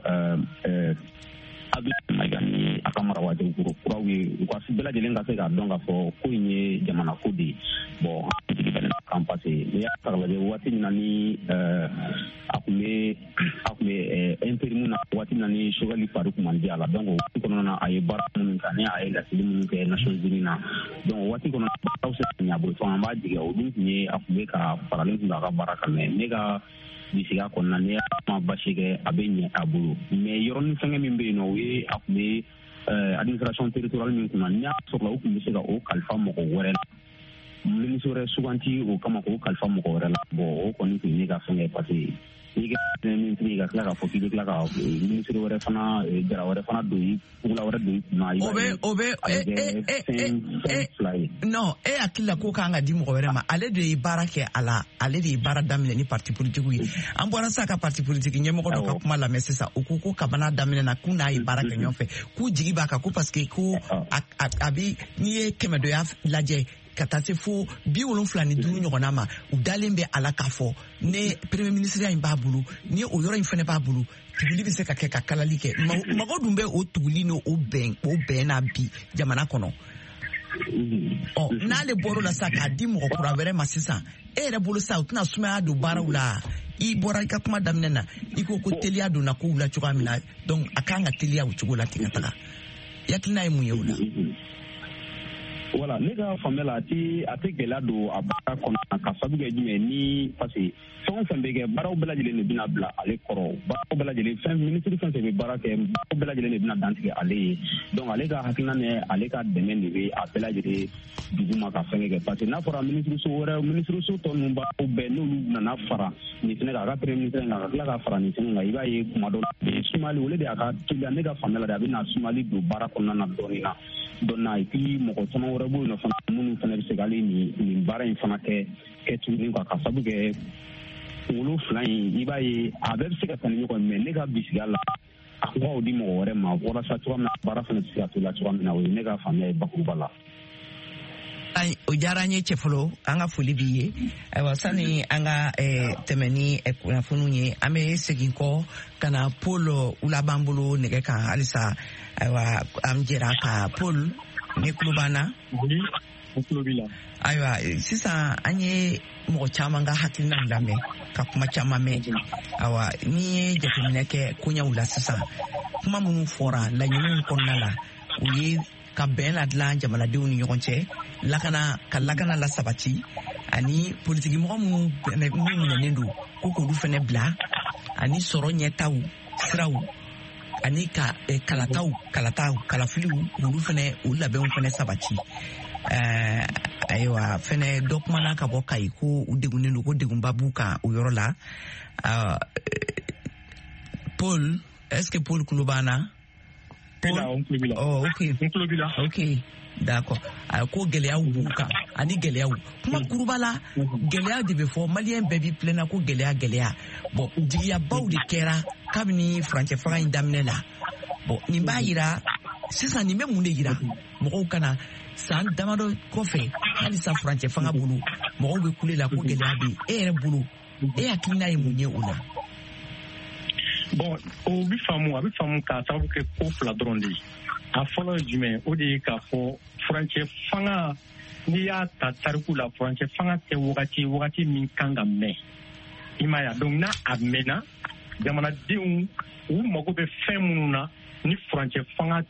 Abdoulaye Maïga ni a ka marabagajɛkulu kuraw ye, u ka bɛɛ lajɛlen ka se k'a dɔn k'a fɔ ko in ye jamana ko de ye. Bon, an jigi bɛ kan, parce que n'i y'a ta k'a lajɛ, waati min na ni a tun bɛ a tun bɛ intérim na, waati min na ni Choguel fari kun man di a la, donc o waati kɔnɔna na a ye baara minnu kɛ ani a ye laseli minnu kɛ Nations Unies na, donc o waati kɔnɔna baaraw sera ka ɲɛ a bolo. An b'a jigi o dun tun ye a tun bɛ ka faralen tun bɛ a ka baara kan. Mais ne ka bisiga kɔnɔna, n'i y'a ma basi kɛ, a bɛ ɲɛ a bolo. Mais yɔrɔnin fɛngɛ min bɛ yen nɔ, o ye a tun bɛ administration territoriale min kunna, n'i y'a sɔrɔ u tun bɛ se ka o kalifa mɔgɔ wɛrɛ la, ministre wɛrɛ suganti o kama k'o kalifa mɔgɔ wɛrɛ la. Bon, o kɔni tun ye ne ka fɛngɛ, parce que N'i kɛra minisiri ka tila k'a fɔ k'i bɛ tila ka minisiri wɛrɛ fana jara wɛrɛ fana don i kugula wɛrɛ don i kunna. O bɛ o bɛ e e e e non, e hakili la ko kan ka di mɔgɔ wɛrɛ ma, ale de ye baara kɛ a la, ale de ye baara daminɛ ni parti politique ye. An bɔra sisan ka parti politique ɲɛmɔgɔ dɔ ka kuma lamɛn sisan, o ko ko kabana daminɛ na k'u n'a ye baara kɛ ɲɔgɔn fɛ, k'u jigi b'a kan ko parce que ko a a bɛ n'i ye kɛmɛdoya lajɛ ka taa se fo bi wolonfila ni duuru ɲɔgɔnna ma, u dalen bɛ a la k'a fɔ ne premier ministre in b'a bolo, ni o yɔrɔ in fana b'a bolo, tuguli bɛ se ka kɛ ka kalali kɛ. Mago dun bɛ o tuguli n'o bɛn o bɛn na bi jamana kɔnɔ. Ɔ n'ale bɔr'o la sisan k'a di mɔgɔ kura wɛrɛ ma sisan, e yɛrɛ bolo sisan u tɛna sumaya don baaraw la? I bɔra i ka kuma daminɛ na, i ko ko teliya donna kow la cogoya min na, donc a kan ka teliya o cogo la ten ka taga. I hakilina ye mun ye o la? Voilà, ne ka faamuya la, a tɛ a tɛ gɛlɛya don a baara kɔnɔ ka sabu kɛ jumɛn ni parce que fɛn o fɛn bɛ kɛ, baaraw bɛɛ lajɛlen de bɛna bila ale kɔrɔ, baaraw bɛɛ lajɛlen fɛn minisiri fɛn fɛn bɛ baara kɛ, baaraw bɛɛ lajɛlen de bɛna dantigɛ ale ye. Donc ale ka hakilina ni ale ka dɛmɛ de bɛ a bɛɛ lajɛlen duguma ka fɛn kɛ, parce que n'a fɔra minisiriso wɛrɛ minisiriso tɔ ninnu baaraw bɛɛ n'olu nana fara nin fɛnɛ kan, a ka premier ministre kan ka tila ka fara nin fɛnɛ kan, i b'a ye kuma dɔ la sumali olu de y'a ka teliya. Ne ka faamuya la de, a bɛna sumali don baara kɔnɔna na dɔɔnin na dɔɔnin na, et puis mɔgɔ caman wɛrɛ b'o yen nɔ fana minnu fana bɛ se k'ale nin nin baara in fana kɛ kɛ tuguni quoi, ka sabu kɛ kunkolo fila in, i b'a ye a bɛɛ bɛ se ka taa ni ɲɔgɔn ye, mais ne ka bisigiya la a ko k'o di mɔgɔ wɛrɛ ma walasa cogoya min na baara fana bɛ se ka to la cogoya min na, o ye ne ka faamuya ye bakuruba la. O diyara an ye Cɛfɔlɔ, an ka foli b'i ye. Ayiwa, sani an ka tɛmɛ ni kunnafoniw ye, an bɛ segin kɔ ka na Paul Wula b'an bolo nɛgɛ kan halisa. Ayiwa, an jɛra ka Paul, ne tulo b'an na? Ayiwa, sisan an ye mɔgɔ caman ka hakilinaw lamɛn, ka kuma caman mɛn. Ayiwa, n'i ye jateminɛ kɛ koɲɛw la sisan, kuma minnu fɔra laɲiniw kɔnɔna la, o ye ka bɛn ladilan jamanadenw ni ɲɔgɔn cɛ, lakana ka lakana la sabati, ani politikimɔgɔ minnu minɛnen don ko k'olu fɛnɛ bila, ani sɔrɔ ɲɛtaw siraw, ani ka kalataw kalataw kalafiliw olu fɛnɛ o labɛnw fɛnɛ sabati. Ayiwa, fɛnɛ dɔ kumana ka bɔ Kayi ko u degunnen don, ko degunba b'u kan o yɔrɔ la. Paul, est-ce que Paul tulo b'an na? Paul? Oh, ok. Ok, d'accord. Ko gɛlɛyaw b'u kan, ani gɛlɛyaw kuma kuruba la, gɛlɛya de bɛ fɔ, maliyɛn bɛɛ b'i pilɛnna ko gɛlɛya gɛlɛya. Bon, jigiyabaw de kɛra kabini furancɛ fanga in daminɛ la. Bon, nin b'a yira sisan, nin bɛ mun de yira mɔgɔw kana san damadɔ kɔfɛ halisa furancɛ fanga bolo mɔgɔw bɛ kule la ko gɛlɛya bɛ yen. E yɛrɛ bolo, e hakilina ye mun ye o la? Bon, o bɛ faamu, a bɛ faamu k'a sababu kɛ ko fila dɔrɔn de ye. A fɔlɔ ye jumɛn? O de ye k'a fɔ furancɛ fanga, n'i y'a ta tariku la, furancɛ fanga tɛ wagati wagati min kan ka mɛn. I m'a ye, donc n'a a mɛnna, jamanadenw u mago bɛ fɛn minnu na ni furancɛ fanga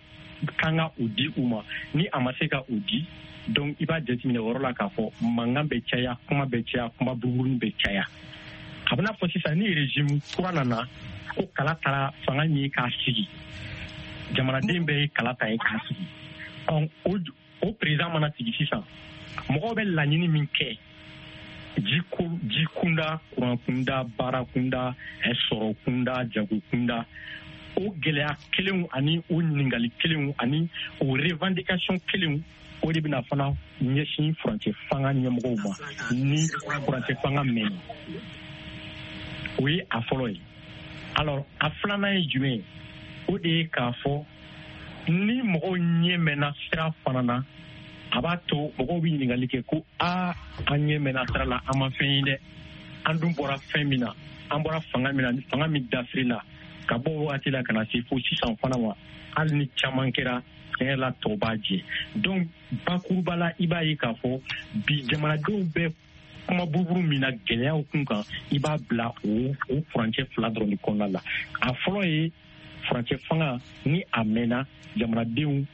kan ka o di u ma, ni a ma se ka o di, donc i b'a jateminɛ o yɔrɔ la k'a fɔ mankan bɛ caya, kuma bɛ caya, kuma buruburunin bɛ caya. A bɛna fɔ sisan ni régime kura nana ko kala taara fanga min ye k'a sigi, jamanaden bɛɛ ye kala ta ye k'a sigi. Ɔ o o président mana sigi sisan, mɔgɔw bɛ laɲini min kɛ ji ko ji kunda, kuran kunda, baara kunda, sɔrɔ kunda, jago kunda, o gɛlɛya kelenw ani o ɲininkali kelenw ani o revendication kelenw, o de bɛna fana ɲɛsin furancɛ fanga ɲɛmɔgɔw ma ni furancɛ fanga mɛnna. O ye a fɔlɔ ye. Alors, a filanan ye jumɛn ye? O de ye k'a fɔ ni mɔgɔw ɲɛ mɛnna sira fana na, a b'a to mɔgɔw bɛ ɲininkali kɛ ko aa, an ɲɛ mɛnna sira la, an ma fɛn ye dɛ, an dun bɔra fɛn min na, an bɔra fanga min na, fanga min dafiri la ka bɔ wagati la ka na se fo sisan fana ma, hali ni caman kɛra tiɲɛ la tɔ b'a jɛ. Donc bakuruba la, i b'a ye k'a fɔ bi jamanadenw bɛ kuma buruburu min na gɛlɛyaw kun kan, i b'a bila o o furancɛ fila dɔrɔn de kɔnɔna la. A fɔlɔ ye furancɛ fanga, ni a mɛnna, jamanadenw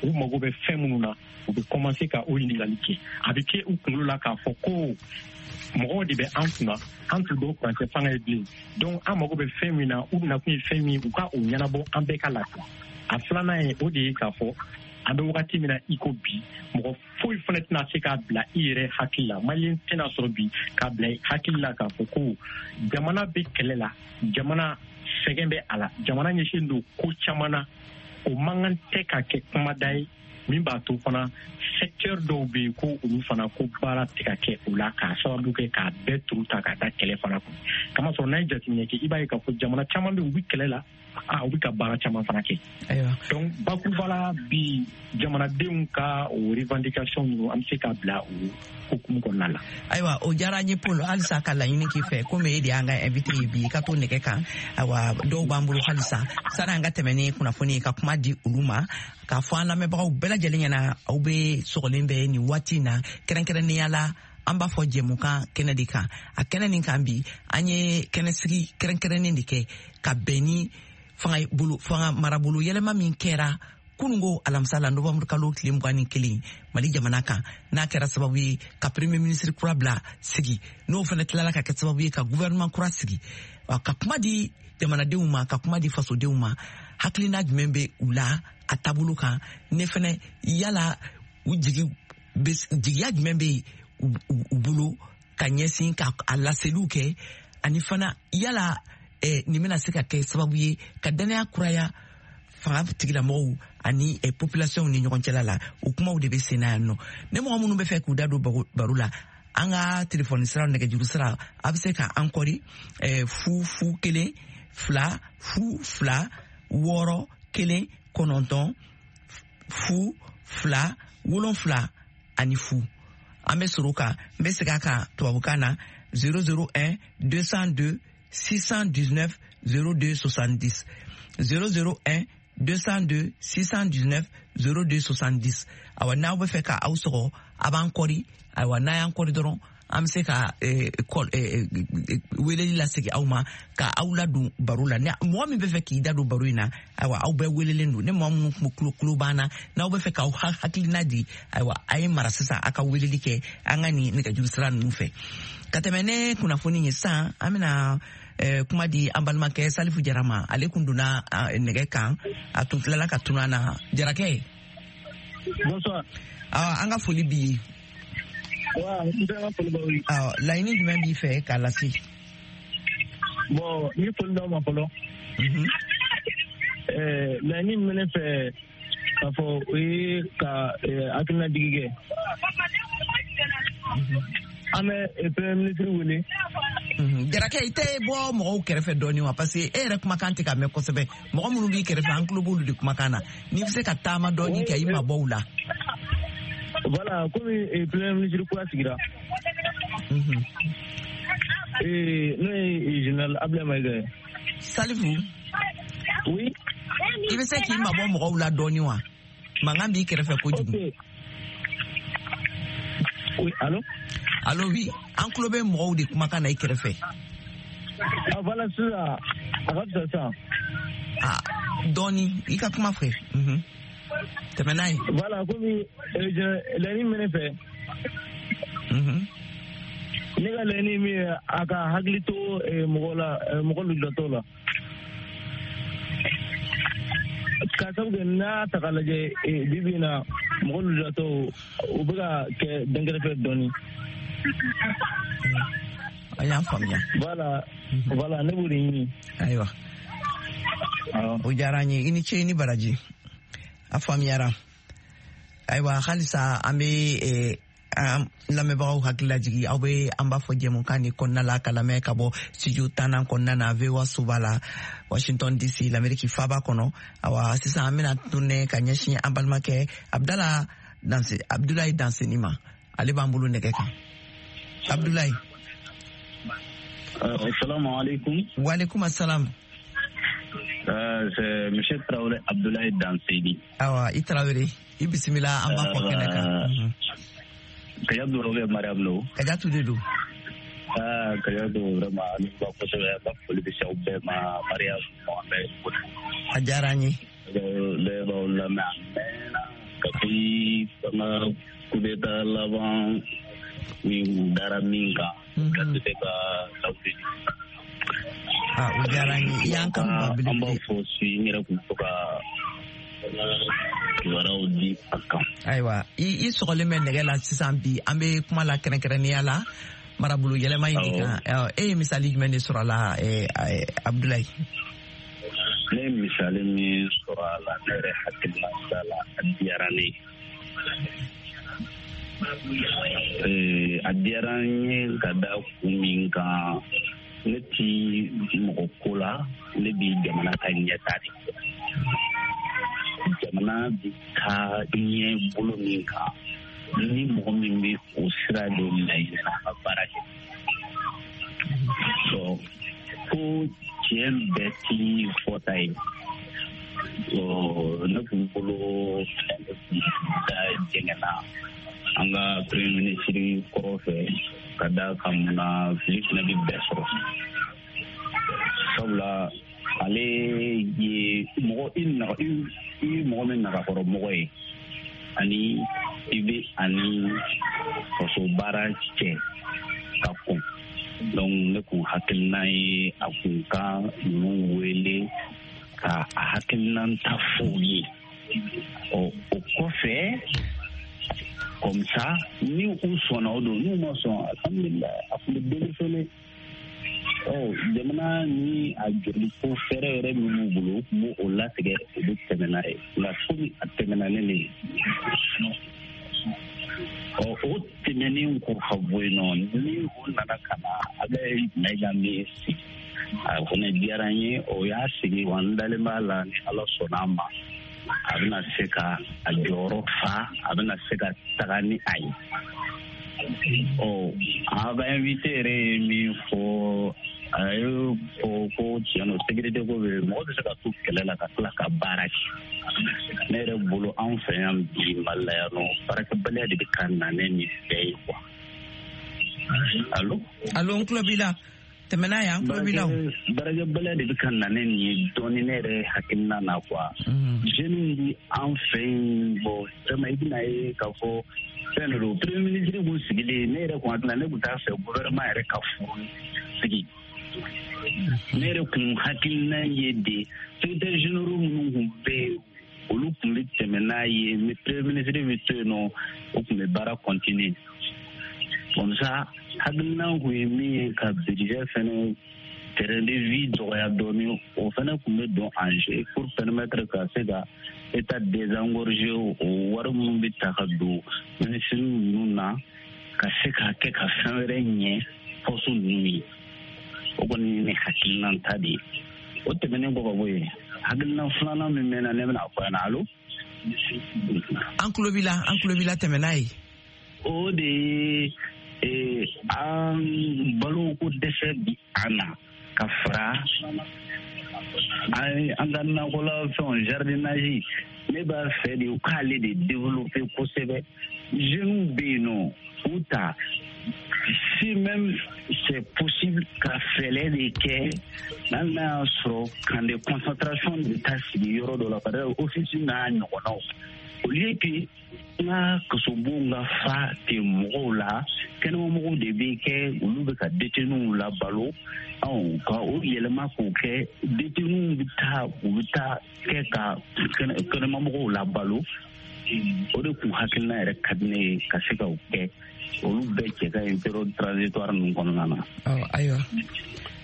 u mago bɛ fɛn minnu na, u bɛ commencer ka o ɲininkali kɛ. A bɛ kɛ u kunkolo la k'a fɔ ko mɔgɔw de bɛ an kunna, an t'u dɔn furancɛ fanga ye bilen, donc an mago bɛ fɛn min na, u nakun ye fɛn min, u ka o ɲɛnabɔ, an bɛɛ ka lafiya. A filanan ye o de ye k'a fɔ an bɛ wagati min na i ko bi, mɔgɔ foyi fana tɛna se k'a bila i yɛrɛ hakili la, maliyɛn tɛna sɔrɔ bi k'a bila i hakili la k'a fɔ ko jamana bɛ kɛlɛ la, jamana sɛgɛn bɛ a la, jamana ɲɛsinnen don ko caman na, o man kan tɛ ka kɛ kumada ye min b'a to fana secteur dɔw bɛ yen ko olu fana ko baara tɛ ka kɛ o la k'a sababu kɛ k'a bɛɛ turu ta ka taa kɛlɛ fana kun. Kamasɔrɔ n'a ye jateminɛ kɛ, i b'a ye k'a fɔ jamana caman bɛ yen, u bɛ kɛlɛ la, a u bɛ ka baara caman fana kɛ. Donc bakuruba la bi jamanadenw ka o revendication ninnu an bɛ se k'a bila o hukumu kɔnɔna la. Ayiwa, o diyara an ye Paul, halisa ka laɲini k'i fɛ komi e de y'an ka invité ye bi, i ka to nɛgɛ kan. Ayiwa, dɔw b'an bolo halisa sani an ka tɛmɛ ni kunnafoni ye ka kuma di olu ma, k'a fɔ an lamɛnbagaw bɛɛ lajɛlen ɲɛna aw bɛ sɔgɔlen bɛ nin waati in na, kɛrɛnkɛrɛnnenya la an b'a fɔ jɛmukan kɛnɛ de kan. A kɛnɛ nin kan bi, an ye kɛnɛsigi kɛrɛnkɛrɛnnen de kɛ ka bɛn ni fanga bolo fanga marabolo yɛlɛma min kɛra kunungo alamisa la novembre kalo tile mugan ni kelen Mali jamana kan, n'a kɛra sababu ye ka premier ministre kura bila sigi, n'o fana tilala ka kɛ sababu ye ka gouvernement kura sigi, ka kuma di jamanadenw ma, ka kuma di fasodenw ma, hakilina jumɛn bɛ u la a taabolo kan, ne fana yala u jigi jigiya jumɛn bɛ u bolo ka ɲɛsin ka a laseliw kɛ, ani fana yala eh, nin bɛna se ka kɛ sababu ye ka danaya kuraya fanga tigilamɔgɔw ani eh, population ni ɲɔgɔn cɛla la. O kumaw de bɛ sen na yan nɔ. Ne mɔgɔ minnu bɛ fɛ k'u da don baro la, an ka telefɔni sira, nɛgɛjuru sira, a bɛ se ka an kɔri eh, fu fu kelen fila fu fila wɔɔrɔ kelen kɔnɔntɔn fu fila wolonfila ani fu. An bɛ sɔrɔ kan, n bɛ segin a kan tubabukan na zéro zéro un deux cent deux six cent dix-neuf zéro deux soixante-dix, zéro zéro un deux cent deux six cent dix-neuf zéro deux soixante-dix. Awa, n'aw bɛ fɛ ka aw sɔgɔ, a b'an kɔri. Ayiwa, n'a y'an kɔri dɔrɔn, an bɛ se ka weleli lasegin aw ma ka aw ladon baro la. Mɔgɔ min bɛ fɛ k'i da don baro in na, ayiwa, aw bɛɛ welelen don. Ni mɔgɔ minnu tulo tulo b'an na, n'aw bɛ fɛ k'aw hakilina di, ayiwa, a ye mara sisan, a ka weleli kɛ an ka nin nɛgɛjuru sira ninnu fɛ. Ka tɛmɛ ne kunnafoni ye sisan, an bɛna kuma di an balimakɛ Salifu Jara ma. Ale kun donna nɛgɛ kan, a tun tilala ka tunun an na. Jarakɛ. Bonsoir. An ka foli b'i ye. Awɔ, laɲini jumɛn b'i fɛ k'a lase? Bon, n ye foli d'aw ma fɔlɔ. Laɲini min bɛ ne fɛ k'a fɔ, o ye ka hakilina jigi kɛ. An bɛ premier ministre wele. Jarakɛ, i tɛ bɔ mɔgɔw kɛrɛfɛ dɔɔnin wa? Parce que e yɛrɛ kumakan tɛ ka mɛn kosɛbɛ. Mɔgɔ minnu b'i kɛrɛfɛ, an tulo b'olu de kumakan na. N'i bɛ se ka taama dɔɔnin kɛ, i mabɔ u la. Voilà, komi premier ministre kura sigira. N'o ye général Abdoulaye Maïga ye. Salifu. Oui. I bɛ se k'i mabɔ mɔgɔw la dɔɔnin wa? Mankan b'i kɛrɛfɛ kojugu. Ok. Oui, allô? Allô, oui. An tulo bɛ mɔgɔw de kumakan na i kɛrɛfɛ. Ah, voilà, sisan a ka fisa sisan. Ah, dɔɔnin, i ka kuma fɛ. Tɛmɛ n'a ye. Voilà, komi laɲini min bɛ ne fɛ. Ne ka laɲini min ye, a ka hakili to mɔgɔ la, mɔgɔ lujuratɔw la. Ka sabu kɛ n'a ta k'a lajɛ bi bi in na, mɔgɔ lujuratɔw u bɛ ka kɛ dɛnkɛrɛfɛ dɔɔnin. A y'an faamuya. Voilà, voilà, ne b'o de ɲini. Ayiwa. O diyara an ye. I ni ce, i ni baraji. A faamuyara. Ayiwa, halisa an bɛ an lamɛnbagaw hakili lajigi, aw bɛ an b'a fɔ jɛmukan nin kɔnɔna la ka lamɛn ka bɔ studio tannan kɔnɔna na V O A soba la, Washington D C, l'Amérique faaba kɔnɔ. Awa, sisan an bɛna tourner ka ɲɛsin an balimakɛ Abdala Danse, Abdoulaye Danseni ma. Ale b'an bolo nɛgɛ kan. Abdoulaye. Assalamu alaikum. Wa alaikum assalam. Euh, c'est monsieur Traoré Abdoulaye Danseni. Awa, i Traoré, i bisimila an b'a fɔ kɛnɛ kan. Kajatu Robe Mariam lo. Kajatu de don. Ah, Kajatu vraiment an b'a kosɛbɛ, an b'a foli bɛ se aw bɛɛ ma, Mariam Mohamed. A diyara an ye. Ne b'aw lamɛn a mɛnna kabi fanga coup d'état laban min dara min kan. Ka se ka lawuli. Ah, o diyara an ye. I y'an kanu ba belebele. An b'a fɔ si n yɛrɛ kun to ka Kibaruyaw di a kan. Ayiwa, i i sɔgɔlen bɛ nɛgɛ la sisan bi, an bɛ kuma la kɛrɛnkɛrɛnnenya la marabolo yɛlɛma in de kan. E ye misali jumɛn de sɔrɔ a la, Abdoulaye? Ne ye misali min sɔrɔ a la, ne yɛrɛ hakilina la, a diyara ne ye. A diyara n ye ka da kun min kan, ne ti mɔgɔ ko la, ne bi jamana ka ɲɛta de. Jamana bi taa ɲɛ bolo min kan, ni mɔgɔ min bɛ o sira de laɲini a ka baara kɛ. Ko tiɲɛ bɛɛ ti fɔta ye. Ne kun bolo ne kun da jɛngɛnna an ka premier ministre kɔrɔ fɛ ka da kan mun na, fili fana bɛ bɛɛ sɔrɔ. Sabula ale ye mɔgɔ i i mɔgɔ min nagakɔrɔ mɔgɔ ye, ani i bɛ ani faso baara cɛ ka kɔn. Donc ne kun hakilina ye a kun ka ninnu wele ka a hakilina ta f'u ye. Ɔ o kɔfɛ, comme ça ni u sɔnna o don, n'u ma sɔn, alhamdulilayi, a kun bɛ démissionner. Ɔ jamana ni a joli ko fɛɛrɛ yɛrɛ min b'u bolo, u kun b'o latigɛ, u bɛ tɛmɛ n'a ye. Nka komi a tɛmɛna ne ne ye, ɔ o tɛmɛnen kɔ ka bɔ yen nɔ, ni o nana ka na Abdoulaye Maïga min sigi, a fana diyara n ye. O y'a sigi wa, n dalen b'a la ni Ala sɔnna a ma, a bɛna se ka a jɔyɔrɔ fa, a bɛna se ka taga ni a ye. Ɔ a ka invité yɛrɛ ye min fɔ, a ye fɔ ko tiɲɛ don, sécurité ko bɛ mɔgɔ bɛ se ka to kɛlɛ la ka tila ka baara kɛ. Ne yɛrɛ bolo, anw fɛ yan bi Mali la yan nɔ, baarakɛbaliya de bɛ ka na ne nin bɛɛ ye quoi. Allo? Allo, n tulo b'i la. Tɛmɛ n'a ye, an tulo b'i la o. Baarakɛbaliya de bɛ ka na ne nin ye dɔɔni ne yɛrɛ hakilina na quoi. Jeunes bi an fɛ yen, bon vraiment i bɛna ye k'a fɔ fɛn de don. Premier ministre kun sigilen, ne yɛrɛ kun hakilina, ne kun t'a fɛ gouvernement yɛrɛ ka furu sigi. Ne yɛrɛ kun hakilina ye de secrétaire généraux minnu kun bɛ yen, olu kun bɛ tɛmɛ n'a ye, mais premier ministre bɛ to yen nɔ, o kun bɛ baara continuer. Comme ça hakilina kun ye min ye ka budget fɛnɛ terrain de vie dɔgɔya dɔɔni, o fɛnɛ kun bɛ don en jeu pour permettre ka se ka état désengorger, o wari minnu bɛ ta ka don ministre ninnu na, ka se ka kɛ ka fɛn wɛrɛ ɲɛ poste ninnu ye. O kɔni ye ne hakilina ta de ye. O tɛmɛnen kɔ ka bɔ yen, hakilina filanan min bɛ na, ne bɛna fɔ ɲɛna. Allo? An tulo b'i la, an tulo b'i la, tɛmɛ n'a ye. O de ye an baloko dɛsɛ bi an na ka fara an ka nakɔla fɛnw jardinage. Ne b'a fɛ de u k'ale de développer kosɛbɛ. Jeunes bɛ yen nɔ, u ta si même c'est possible ka fɛɛrɛ de kɛ, n'hali n'a y'a sɔrɔ camp de concentration de taa sigi yɔrɔ dɔ la, par exemple office n'a ɲɔgɔnnaw, au lieu que n ka kasobonw ka fa ten mɔgɔw la, kɛnɛmamɔgɔw de bɛ kɛ, olu bɛ ka détenus labalo. Ɔ ka o yɛlɛma k'o kɛ détenus bɛ taa, u bɛ taa kɛ ka kɛnɛmamɔgɔw labalo. O de kun hakilina yɛrɛ ka di ne ye ka se ka o kɛ. Olu bɛɛ cɛ ka ɲi période transitoire ninnu kɔnɔna na. Ayiwa,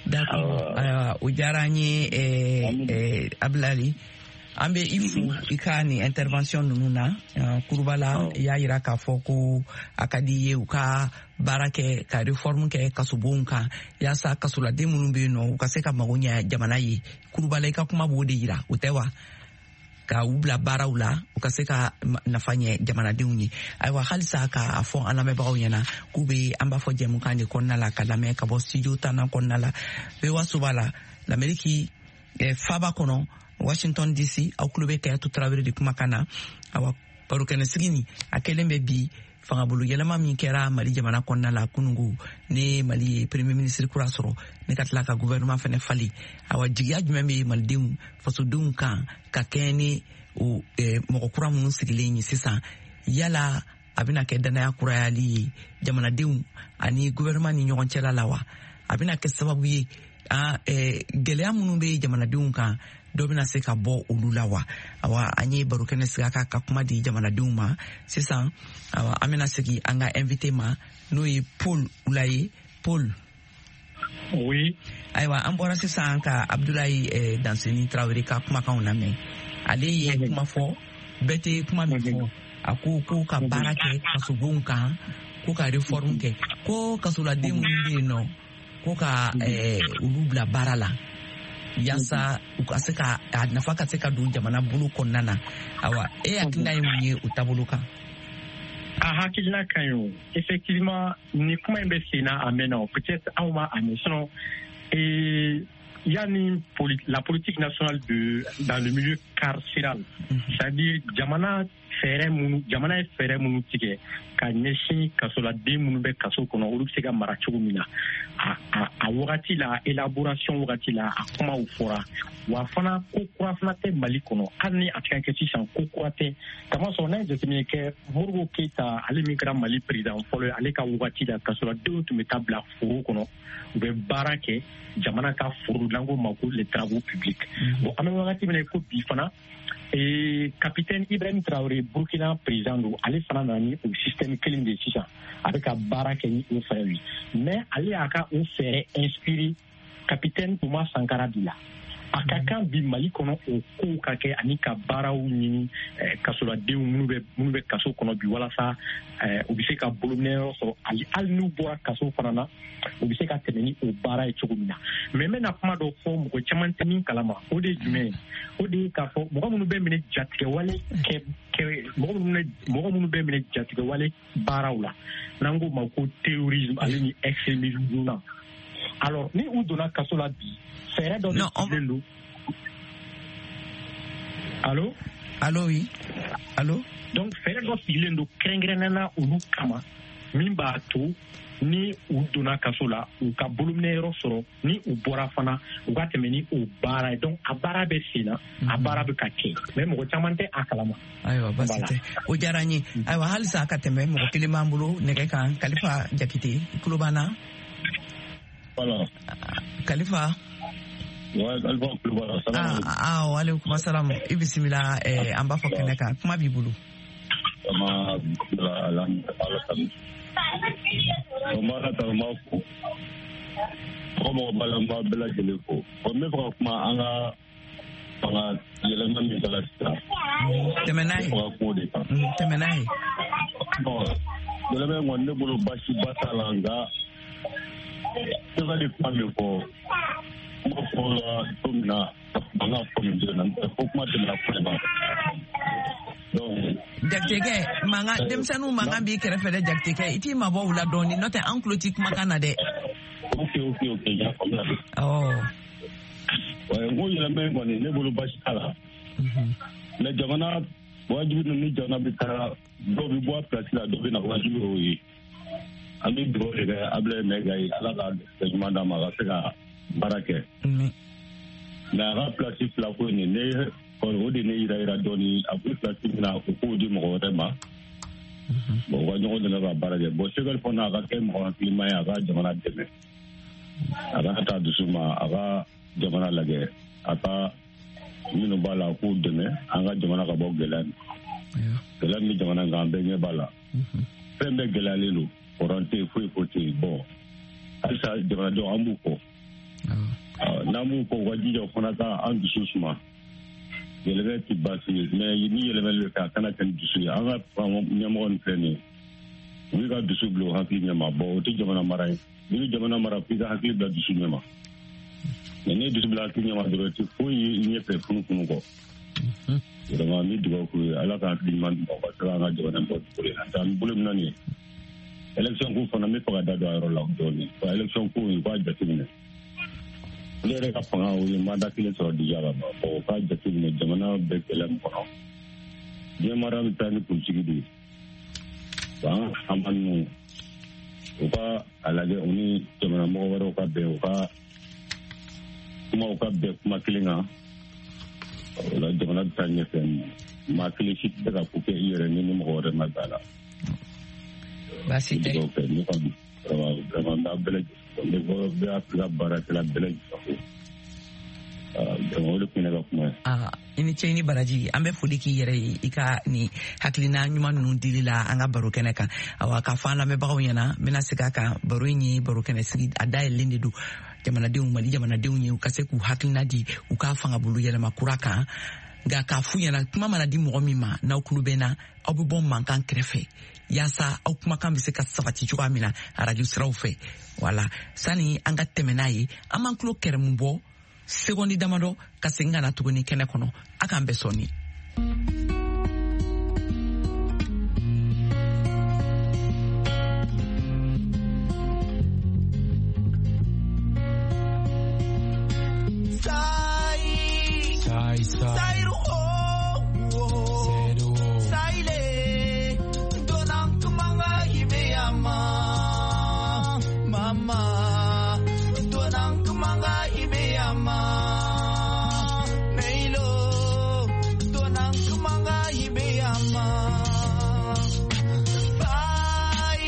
d'accord, ayiwa, o diyara an ye Abdoulaye. An bɛ i fo i ka nin intervention ninnu na. Kurubala, i y'a yira k'a fɔ ko a ka di i ye u ka baara kɛ ka réforme kɛ kasobonw kan, yaasa kasoladen minnu bɛ yen nɔ, u ka se ka mago ɲɛ jamana ye. Kurubala, i ka kuma b'o de yira, o tɛ wa? Ka u bila baaraw la, u ka se ka nafa ɲɛ jamanadenw ye. Ayiwa, halisa k'a fɔ an lamɛnbagaw ɲɛna k'u bɛ an b'a fɔ jɛmukan de kɔnɔna la ka lamɛn ka bɔ studio tannan kɔnɔna la, V O A soba la, l'Amérique faba kɔnɔ, Washington D C. Aw tulo bɛ Kayatu Tarawele de kumakan na. Awa, barokɛnɛsigi nin a kɛlen bɛ bi fangabolo yɛlɛma min kɛra Mali jamana kɔnɔna la kunungo, ne Mali ye premier ministre kura sɔrɔ, ne ka tila ka gouvernement fɛnɛ falen. Awa, jigiya jumɛn bɛ malidenw fasodenw kan ka kɛɲɛ ni o mɔgɔ kura minnu sigilen ye sisan? Yala a bɛna kɛ danaya kurayali ye jamanadenw ani gouvernement ni ɲɔgɔn cɛla la wa? A bɛna kɛ sababu ye gɛlɛya minnu bɛ jamanadenw kan Dɔ bɛna se ka bɔ olu la wa? Awa, an ye baro kɛnɛ sigi a kan ka kuma di jamanadenw ma. Sisan, awa, an bɛna segin an ka invité ma, n'o ye Paul Ulaye. Paul. Oui. Ayiwa, an bɔra sisan ka Abdoulaye eh, Danseni Traoré ka kumakanw lamɛn. Ale ye kuma fɔ, bɛɛ tɛ kuma min fɔ. A ko ko ka baara kɛ kasobonw kan, ko ka réforme kɛ, ko kasoladen minnu bɛ yen nɔ, ko ka eh, olu bila baara la yaasa u ka se ka a nafa ka se ka don jamana bolo kɔnɔna na. Awa, e hakilina ye mun ye o taabolo kan? A hakilina ka ɲi o. Effectivement, ni kuma in bɛ sen na a mɛnna o, peut-être anw ma a mɛn. Sinon, et yanni la politique nationale de dans le milieu carcéral, c'est-à-dire jamana fɛɛrɛ minnu, jamana ye fɛɛrɛ minnu tigɛ ka ɲɛsin kasoladen minnu bɛ kaso kɔnɔ, olu bɛ se ka mara cogo min na, a a a wagati la, élaboration wagati la, a kumaw fɔra. Wa fana, ko kura fana tɛ Mali kɔnɔ. Hali ni a tɛ ka kɛ sisan, ko kura tɛ, kamasɔrɔ n'a ye jateminɛ kɛ, Modibo Keyita, ale min kɛra Mali président fɔlɔ ye, ale ka wagati la, kasoladenw tun bɛ taa bila foro kɔnɔ, u bɛ baara kɛ jamana ka foro, n'an ko ma ko les travaux publics. Bon, an bɛ wagati min na ko bi fana, et capitaine Ibrahim Traoré, Burkina président don, ale fana nana ni o système kelen de ye sisan. A bɛ ka baara kɛ ni o fɛɛrɛ ye, mais ale y'a ka o fɛɛrɛ inspiré capitaine Thomas Sankara de la. A ka kan bi Mali kɔnɔ o kow ka kɛ, ani ka baaraw ɲini kasoladenw minnu bɛ minnu bɛ kaso kɔnɔ bi, walasa u bɛ se ka bolominɛyɔrɔ sɔrɔ, hali n'u bɔra kaso fana na, u bɛ se ka tɛmɛ ni o baara ye cogo min na. Mais n bɛna kuma dɔ fɔ, mɔgɔ caman tɛ min kalama. O de ye jumɛn ye? O de ye k'a fɔ mɔgɔ minnu bɛ minɛ jatigɛwale kɛ kɛ mɔgɔ minnu mɔgɔ minnu bɛ minɛ jatigɛwale baaraw la, n'an k'o ma ko terrorisme ale ni extrémisme na. Alors, ni u donna kaso la bi, fɛɛrɛ dɔ de sigilen don. Allo? Allo, oui. Allo? Donc fɛɛrɛ dɔ sigilen don kɛrɛnkɛrɛnnenya la olu kama, min b'a to ni u donna kaso la, u ka bolominɛyɔrɔ sɔrɔ, ni u bɔra fana, u ka tɛmɛ ni o baara ye. Donc a baara bɛ sen na, a baara bɛ ka kɛ, mais mɔgɔ caman tɛ a kalama. Ayiwa, basi tɛ, o diyara n ye. Ayiwa, halisa ka tɛmɛ, mɔgɔ kelen b'an bolo nɛgɛ kan, Kalifa Jakite, i tulo b'an na? Voilà. Kalifa. Ouais, Kalifa Kulubali. Ah, ah, waaleykum salam. I bisimila eh, an b'a fɔ kɛnɛ kan. Kuma b'i bolo. Sama bisimilah, ala tanu. O b'a la tanu, n b'a fo. Mɔgɔ mɔgɔ b'a la, n b'a bɛɛ lajɛlen fo. Bon, n bɛ fɛ ka kuma an ka fanga yɛlɛma min kɛra sisan. Tɛmɛ n'a ye. N bɛ fɛ ka kuma o de kan. Tɛmɛ n'a ye. Bon, yɛlɛma in kɔni, ne bolo baasiba t'a la, nka Sɛbɛn kuma min fɔ, kuma fɔra don min na, an ka fɔ min don na, fo kuma tɛmɛna ko ma. Jakitekɛ, mankan, denmisɛnninw mankan b'i kɛrɛfɛ dɛ, Jakitekɛ, i t'i mabɔ u la dɔɔni, n'o tɛ an tulo t'i kumakan na dɛ. Ok, ok, ok, n y'a faamuya. Awɔ. N ko yɛlɛma in kɔni, ne bolo baasi t'a la. Mais jamana wajibi don, ni jamana bɛ taa, dɔw bɛ bɔ a place la, dɔw bɛ na, wajibi y'o ye. An bɛ dugawu de kɛ Abdoulaye Maïga ye, Ala ka ɲuman d'a ma, a ka se ka baara kɛ. Mais a ka place fila ko in, ne kɔni, o de ne yira yira dɔɔni. A bɛ place min na, o k'o di mɔgɔ wɛrɛ ma. Bon, u ka ɲɔgɔn dɛmɛ ka baara kɛ. Bon, Choguel fana, a ka kɛ mɔgɔ hakilima ye, a ka jamana dɛmɛ. A ka taa dusu ma, a ka jamana lajɛ, a ka minnu b'a la, a k'u dɛmɛ, an ka jamana ka bɔ gɛlɛya in. Gɛlɛya min bɛ jamana in kan, an bɛɛ ɲɛ b'a la. Fɛn bɛɛ gɛlɛyalen don. Courant tɛ yen, foyi foyi tɛ yen. Bon, halisa jamanadenw, an b'u kɔ. N'an b'u kɔ, u ka jija, o fana ka an dusu suma. Yɛlɛmɛ tɛ baasi ye, mais ni yɛlɛmɛli bɛ kɛ, a kana kɛ ni dusu ye. An ka ɲɛmɔgɔ nin filɛ nin ye, u b'i ka dusu bila u hakili ɲɛma. Bon, o tɛ jamana mara ye. N'i bɛ jamana mara, f'i ka hakili bila dusu ɲɛma. Mais n'i ye dusu bila hakili ɲɛma dɔrɔn, i tɛ foyi ye i ɲɛfɛ funufunu kɔ. Vraiment, n bɛ dugawu k'u ye, Ala ka hakili ɲuman d'u ma, u ka se k'an ka jamana bɔ bolo in na. An bɛ bolo min na nin ye, élection ko fana, n bɛ fɛ ka da don a yɔrɔ la dɔɔni. Wa élection ko in, u k'a jateminɛ. Ne yɛrɛ ka fanga, o ye mandat kelen sɔrɔ déjà ka ban. Bon, u k'a jateminɛ, jamana bɛ gɛlɛya min kɔnɔ, diɲɛ mara bɛ taa ni politique de ye. Wa an ka faama ninnu, u ka a lajɛ, u ni jamana mɔgɔ wɛrɛw ka bɛn, u ka kumaw ka bɛn kuma kelen kan. O la, jamana bɛ taa ɲɛfɛ. Maa kelen si tɛ se ka ko kɛ i yɛrɛ ni ni mɔgɔ wɛrɛ ma bɛn a la. Baasi tɛ. Ne kɔni, vraiment, n b'a bɛɛ lajɛlen, ne bɛ Afirika baarakɛla bɛɛ lajɛlen fo. Donc o de tun ye ne ka kuma ye. I ni ce, i ni baraji. An bɛ foli k'i yɛrɛ ye i ka ni hakilina ɲuman ninnu dili la an ka baro kɛnɛ kan. Awa, k'a fɔ an lamɛnbagaw ɲɛna, n bɛna segin a kan, baro in ye baro kɛnɛ sigi, a dayɛlɛlen de don jamanadenw, Mali jamanadenw ye, u ka se k'u hakilina di u ka fangabolo yɛlɛma kura kan. Nka k'a f'u ɲɛna, kuma mana di mɔgɔ min ma, n'aw tulo bɛ n na, aw bɛ bɔ mankan kɛrɛfɛ yaasa aw kumakan bɛ se ka sabati cogoya min na arajo siraw fɛ. Wala sani an ka tɛmɛ n'a ye, an b'an tulo kɛrɛmu bɔ sekondi damadɔ ka segin ka na tuguni kɛnɛ kɔnɔ. A k'an bɛɛ sɔnni. Sai, sai, mama, donang kumanga ibeyama. Neilo, donang kumanga ibeyama. Sai,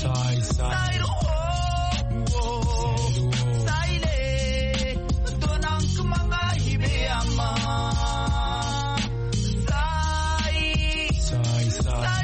sai, sai, sai, donang kumanga ibeyama. Sai, sai, sai,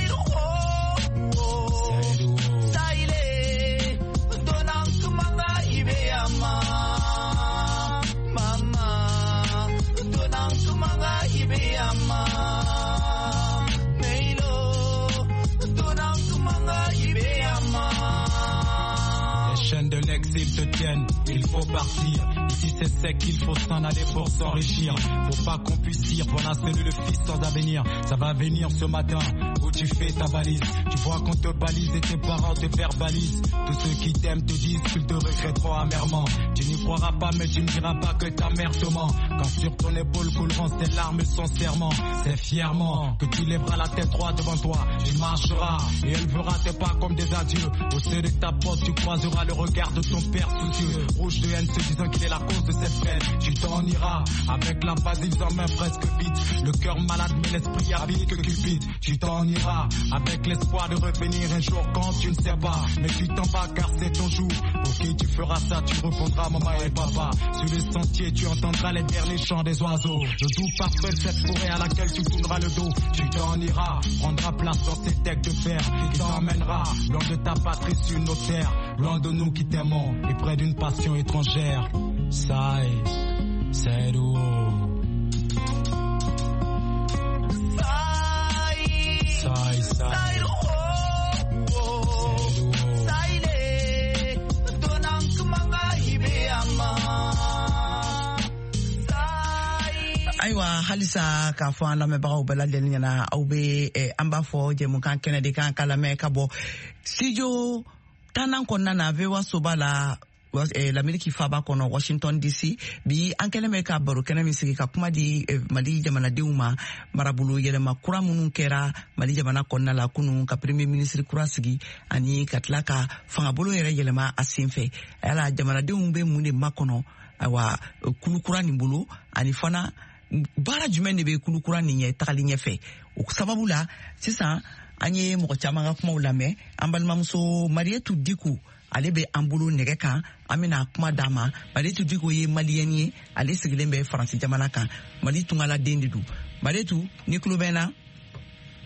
de l'exil te tiennent, il faut partir. Ici c'est sec, il faut s'en aller pour s'enrichir. Faut pas qu'on puisse dire, voilà c'est le fils sans avenir. Ça va venir ce matin où tu fais ta valise. Tu vois qu'on te balise et tes parents te verbalisent. Tous ceux qui t'aiment te disent qu'ils te regretteront amèrement. Tu n'y croiras pas mais tu ne diras pas que ta mère te ment. Quand sur ton épaule couleront ses larmes sincèrement, c'est fièrement que tu lèveras la tête droite devant toi. Tu marcheras et elle verra tes pas comme des adieux. Au sein de ta porte tu croiseras le regard de ton père soucieux, rouge de haine, se disant qu'il est la cause de cette peine. Tu t'en iras avec la valise en main presque vide, le cœur malade mais l'esprit avide que cupide. Tu t'en iras avec l'espoir de revenir un jour quand tu ne sais pas, mais tu t'en vas car c'est ton jour. Pour qui tu feras ça, tu répondras maman et papa. Sur le sentier tu entendras les derniers chants des oiseaux, le doux parfum de cette forêt à laquelle tu tourneras le dos. Tu t'en iras, prendras place dans ces decks de fer qui t'emmènera loin de ta patrie sur nos terres, loin de nous qui t'aimons et près d'une passion étrangère. Sai, c'est do. Sai, sai, sai, sai, donang kumanga ibeyama. Ayiwa, halisa k'a fɔ an lamɛnbagaw bɛɛ lajɛlen ɲɛna, aw bɛ an b'a fɔ jɛmukan kɛnɛ de kan ka lamɛn ka bɔ studio tannan kɔnɔna na V O A soba la, l'Amérique faba kɔnɔ, Washington D C. Bi an kɛlen bɛ ka baro kɛnɛ min sigi ka kuma di Mali jamanadenw ma, marabolo yɛlɛma kura minnu kɛra Mali jamana kɔnɔna la kunun, ka premier ministre kura sigi ani ka tila ka fangabolo yɛrɛ yɛlɛma a sen fɛ. Yala jamanadenw bɛ mun de makɔnɔ ayiwa kulu kura nin bolo, ani fana baara jumɛn de bɛ kulu kura nin ɲɛ tagali ɲɛfɛ? O sababu la sisan an ye mɔgɔ caman ka kumaw lamɛn. An balimamuso Marietou Dicko, ale bɛ an bolo nɛgɛ kan, an bɛna kuma d'a ma. Marietou Dicko ye maliyɛn ye, ale sigilen bɛ Faransi jamana kan, Mali tungaladen de don. Marietou, ni tulo bɛ n na?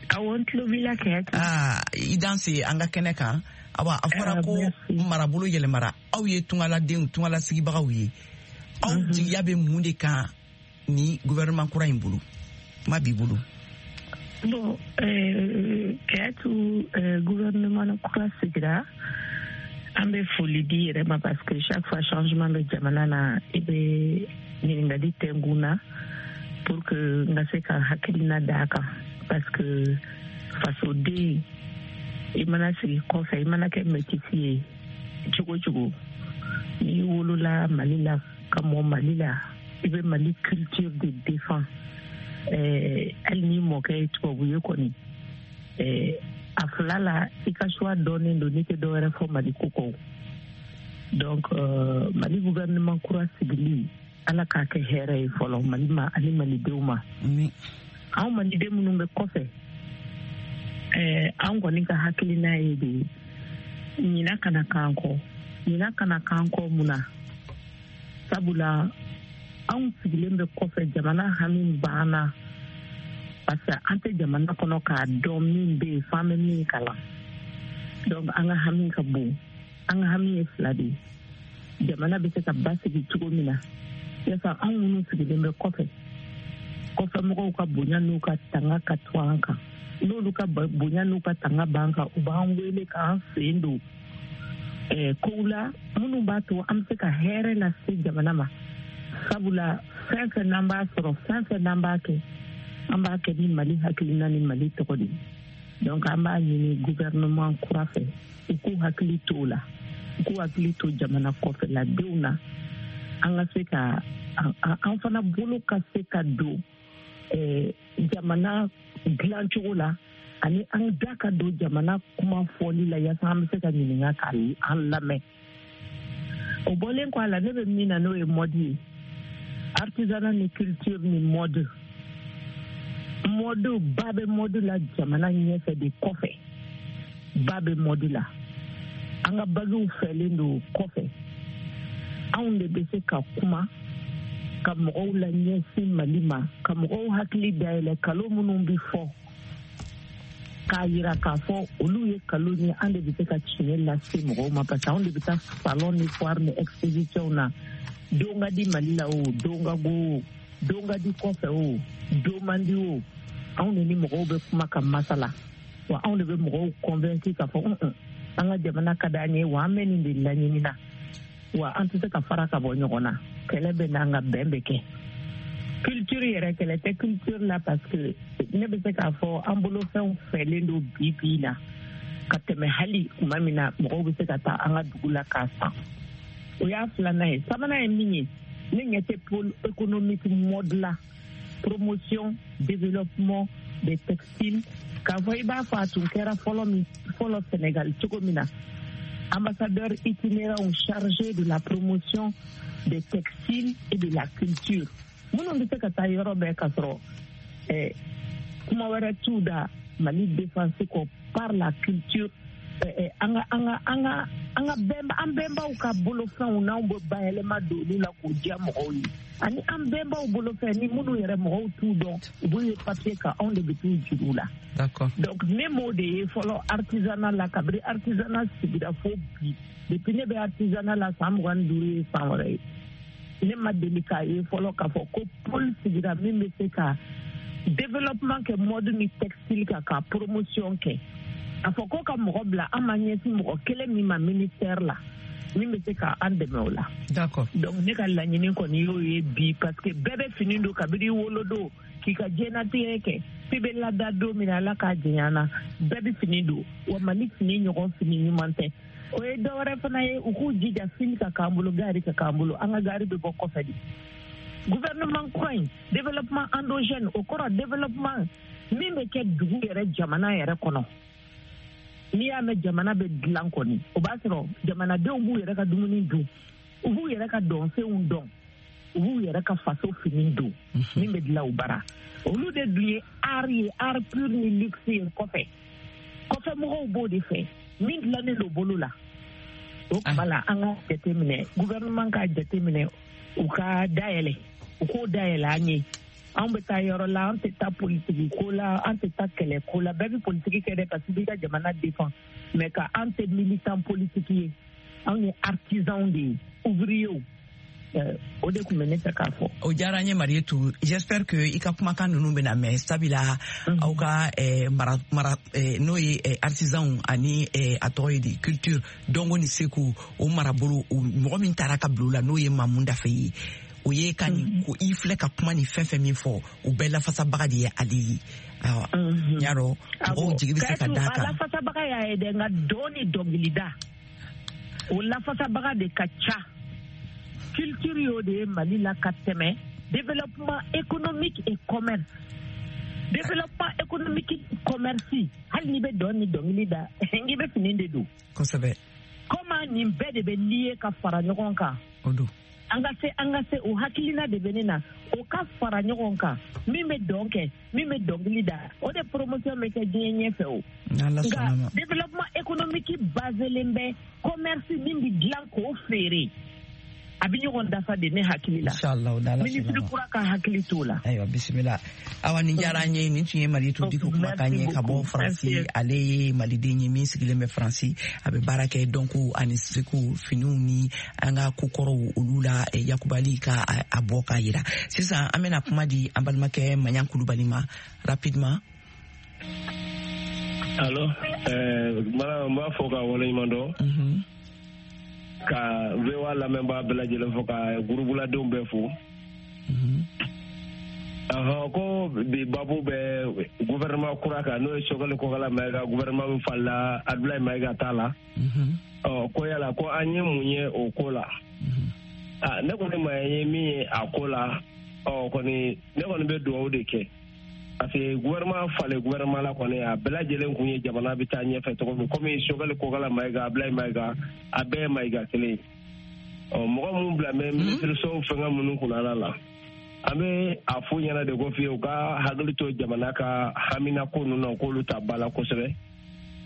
Awɔ, n tulo b'i la kɛ. Aa, i danse an ka kɛnɛ kan. Awa, a fɔra ko marabolo yɛlɛmara, aw ye tungaladenw, tungalasigibaga ye, aw jigiya bɛ mun de kan ni gouvernement kura in bolo? Kuma b'i bolo. Bon, euh, Kayatu, euh, gouvernement kura sigira, an bɛ foli di yɛrɛ ma parce que chaque fois changement bɛ jamana na, i bɛ ɲininkali tɛngun na pour que n ka se ka hakilina d'a kan, parce que fasoden i mana sigi kɔfɛ, i mana kɛ métis ye cogo cogo, n'i wolola Mali la ka mɔ Mali la, i bɛ Mali culture de défend. Hali n'i mɔkɛ ye tubabu ye kɔni, a fila la i ka choix dɔɔnin don, n'i tɛ dɔwɛrɛ fɔ Mali ko kɔ. Donc euh, Mali gouvernement kura sigili, Ala k'a kɛ hɛrɛ ye fɔlɔ Mali ma ani malidenw ma. Anw maliden minnu bɛ kɔfɛ, an kɔni ka hakilina ye de ɲina kana k'an kɔ, ɲina kana k'an kɔ mun na? Sabula Anw sigilen bɛ kɔfɛ, jamana hami banna parce que an tɛ jamana kɔnɔ k'a dɔn min bɛ yen f'an bɛ min kalan. Donc an ka hami ka bon. An ka hami ye fila de ye. Jamana bɛ se ka basigi cogo min na, yasa anw minnu sigilen bɛ kɔfɛ, kɔfɛ mɔgɔw ka bonya n'u ka tanga ka to an kan. N'olu ka bonya n'u ka tanga b'an kan, u b'an wele k'an sen don eh, kow la minnu b'a to an bɛ se ka hɛrɛ lase jamana ma. Sabula fɛn fɛn n'an b'a sɔrɔ, fɛn fɛn n'an b'a kɛ, an b'a kɛ ni Mali hakilina ni Mali tɔgɔ de ye. Donc an b'a ɲini gouvernement kura fɛ, u k'u hakili to o la, u k'u hakili to jamana kɔfɛladenw na, an ka se ka an fana bolo ka se ka don eh, jamana dilancogo la, ani an da ka don jamana kuma fɔli la, yaasa an bɛ se ka ɲininka k'an lamɛn. O bɔlen kɔ a la, ne bɛ min na n'o ye mode ye, artisanat ni culture ni mode. Mode ba bɛ mode la jamana ɲɛfɛ de, kɔfɛ ba bɛ mode la. An ka bagiw fɛlen don kɔfɛ. Anw de bɛ se ka kuma ka mɔgɔw la ɲɛsin Mali ma, ka mɔgɔw hakili dayɛlɛ kalo minnu bɛ fɔ, k'a yira k'a fɔ olu ye kalo ye. An de bɛ se ka tiɲɛ lase mɔgɔw ma, parce que anw de bɛ taa salon ni foire ni exposition na. Don ka di Mali la o, don ka go o, don ka di kɔfɛ o, don man di o, anw de ni mɔgɔw bɛ kuma ka masala. Wa anw de bɛ mɔgɔw convaincre k'a fɔ un an ka jamana ka d'an ye, wa an bɛ nin de laɲini na, wa an tɛ se ka fara ka bɔ ɲɔgɔn na. Kɛlɛ bɛ n'an ka bɛn bɛ kɛ. Culture yɛrɛ, kɛlɛ tɛ culture la, parce que ne bɛ se k'a fɔ an bolofɛnw fɛlen don bi bi in na ka tɛmɛ hali tuma min na mɔgɔw bɛ se ka taa an ka dugu la k'a san. O y'a filanan ye. Sabanan ye min ye, ne ɲɛ tɛ pôle économique mode la, promotion développement des textiles, k'a fɔ i b'a fɔ a tun kɛra fɔlɔ min fɔlɔ Sénégal cogo min na, ambassadeur itinérant chargé de la promotion des textiles et de la culture, minnu bɛ se ka taa yɔrɔ bɛɛ ka sɔrɔ eh, kuma wɛrɛ t'u da Mali défense kɔ par la culture. Eh, an ka an ka an ka an ka bɛnba an bɛnbaw ka bolofɛnw n'anw bɛ bayɛlɛma don olu la k'o diya mɔgɔw ye, ani an bɛnbaw bolofɛn ni minnu yɛrɛ mɔgɔw t'u dɔn, u b'u ye papier kan, anw de bɛ t'u juru la. D'accord. Donc ne m'o de ye fɔlɔ artisanat la, kabini artisanat sigira fo bi, depuis ne bɛ artisanat la san mugan ni duuru ye san wɛrɛ ye, ne ma deli k'a ye fɔlɔ k'a fɔ ko pôle sigira min bɛ se ka développement kɛ mode ni textile kan, ka promotion kɛ. A fɔ ko ka mɔgɔ bila, an ma ɲɛsin mɔgɔ kelen min ma ministère la min bɛ se ka an dɛmɛ o la. D'accord. Donc ne ka laɲini kɔni y'o ye bi, parce que bɛɛ bɛ fini don kabini wolodon k'i ka diɲɛnatigɛ kɛ, f'i bɛ lada don min na, Ala k'a janya na, bɛɛ bɛ fini don. Wa Mali fini ɲɔgɔn fini ɲuman tɛ. O ye dɔ wɛrɛ fana ye, u k'u jija fini ka k'an bolo, gari ka k'an bolo. An ka gari bɛ bɔ kɔfɛ de. Gouvernement kura in, développement endogène, o kɔrɔ développement min bɛ kɛ dugu yɛrɛ, jamana yɛrɛ kɔnɔ. N'i y'a mɛn jamana bɛ dilan kɔni, o b'a sɔrɔ jamanadenw b'u yɛrɛ ka dumuni dun, u b'u yɛrɛ ka dɔnfɛnw dɔn, u b'u yɛrɛ ka faso fini don min bɛ dilan u bara. Olu de dun ye art ye, art pur ni luxe ye kɔfɛ. Kɔfɛ mɔgɔw b'o de fɛ, min dilannen don bolo la. O tuma la, an ka jateminɛ, gouvernement ka jateminɛ, u ka dayɛlɛ, u k'o dayɛlɛ an ye. Anw bɛ taa yɔrɔ la, an tɛ taa politiki ko la, an tɛ taa kɛlɛ ko la. Bɛɛ bɛ politiki kɛ dɛ, parce que b'i ka jamana défend, mais ka an tɛ militant politique ye, anw ye artisanw de ye, ouvriers. O de tun bɛ ne fɛ k'a fɔ. O diyara n ye Marietou. J'espère que i ka kumakan ninnu bɛna mɛn, sabula aw ka mara mara n'o ye artisanw ani a tɔgɔ ye di culture dɔnko ni seko, o marabolo mɔgɔ min taara ka bila o la n'o ye Mamu Dafe ye, o ye ka nin ko i filɛ ka kuma ni fɛn fɛn min fɔ, o bɛɛ lafasabaga de ye ale ye. Ayiwa, n y'a dɔn mɔgɔw jigi bɛ se ka d'a kan. A lafasabaga y'a ye dɛ, nka dɔn ni dɔnkilida o lafasabaga de ka ca. Culture y'o de ye Mali la ka tɛmɛ développement économique et commerce. Développement économique commerce, hali n'i bɛ dɔn ni dɔnkili da, n'i bɛ fini de don. Kosɛbɛ. Comment nin bɛɛ de bɛ lié ka fara ɲɔgɔn kan? O don. An ka se an ka se o hakilina de bɛ ne na, o ka fara ɲɔgɔn kan, min bɛ dɔn kɛ, min bɛ dɔnkili da, o de promotion bɛ kɛ diɲɛ ɲɛfɛ o. Nka développement économique baselen bɛ commerce min bɛ dilan k'o feere. A bɛ ɲɔgɔn dafa de ne hakili la. Inshallah, minisiri kura ka hakili t'o la. Ayiwa, bisimila. Awa, nin diyara an ye. Nin tun ye Mariyetu Diko kumakan ye ka bɔ Faransi. Ale ye maliden ye min sigilen bɛ Faransi, a bɛ baara kɛ dɔnko ani seko finiw ni an ka kokɔrɔw olu la, yakubali ka a bɔ k'a yira. Sisan an bɛna kuma di an balimakɛ Maɲan Kulubali ma rapidement. Allo, ɛɛ madame, n b'a fɔ ka waleɲuman dɔn. Ka V O A lamɛnbaa bɛɛ lajɛlen fo, ka gurubuladenw bɛɛ fo. Ahɔn, ko bi babu bɛ gouvernement kura kan, n'o ye Choguel Kokalla Maïga gouvernement min falila Abdoulaye Maïga ta la. Ɔ ko yala ko an ye mun ye o ko la? Ah, ne kɔni ma ye min ye a ko la, ɔ kɔni ne kɔni bɛ dugawu de kɛ. Parce que gouvernement falen gouvernement la kɔni, a bɛɛ lajɛlen kun ye jamana bɛ taa ɲɛfɛ cogo min, komi Choguel Kokalla Maïga, Abdoulaye Maïga, a bɛɛ ye Maïga kelen ye. Ɔ mɔgɔ minnu bila bɛ minisiriso fɛngɛ minnu kunna la, an bɛ a f'u ɲɛna de ko fiye u ka hakili to jamana ka haminako ninnu na, k'olu ta ba la kosɛbɛ.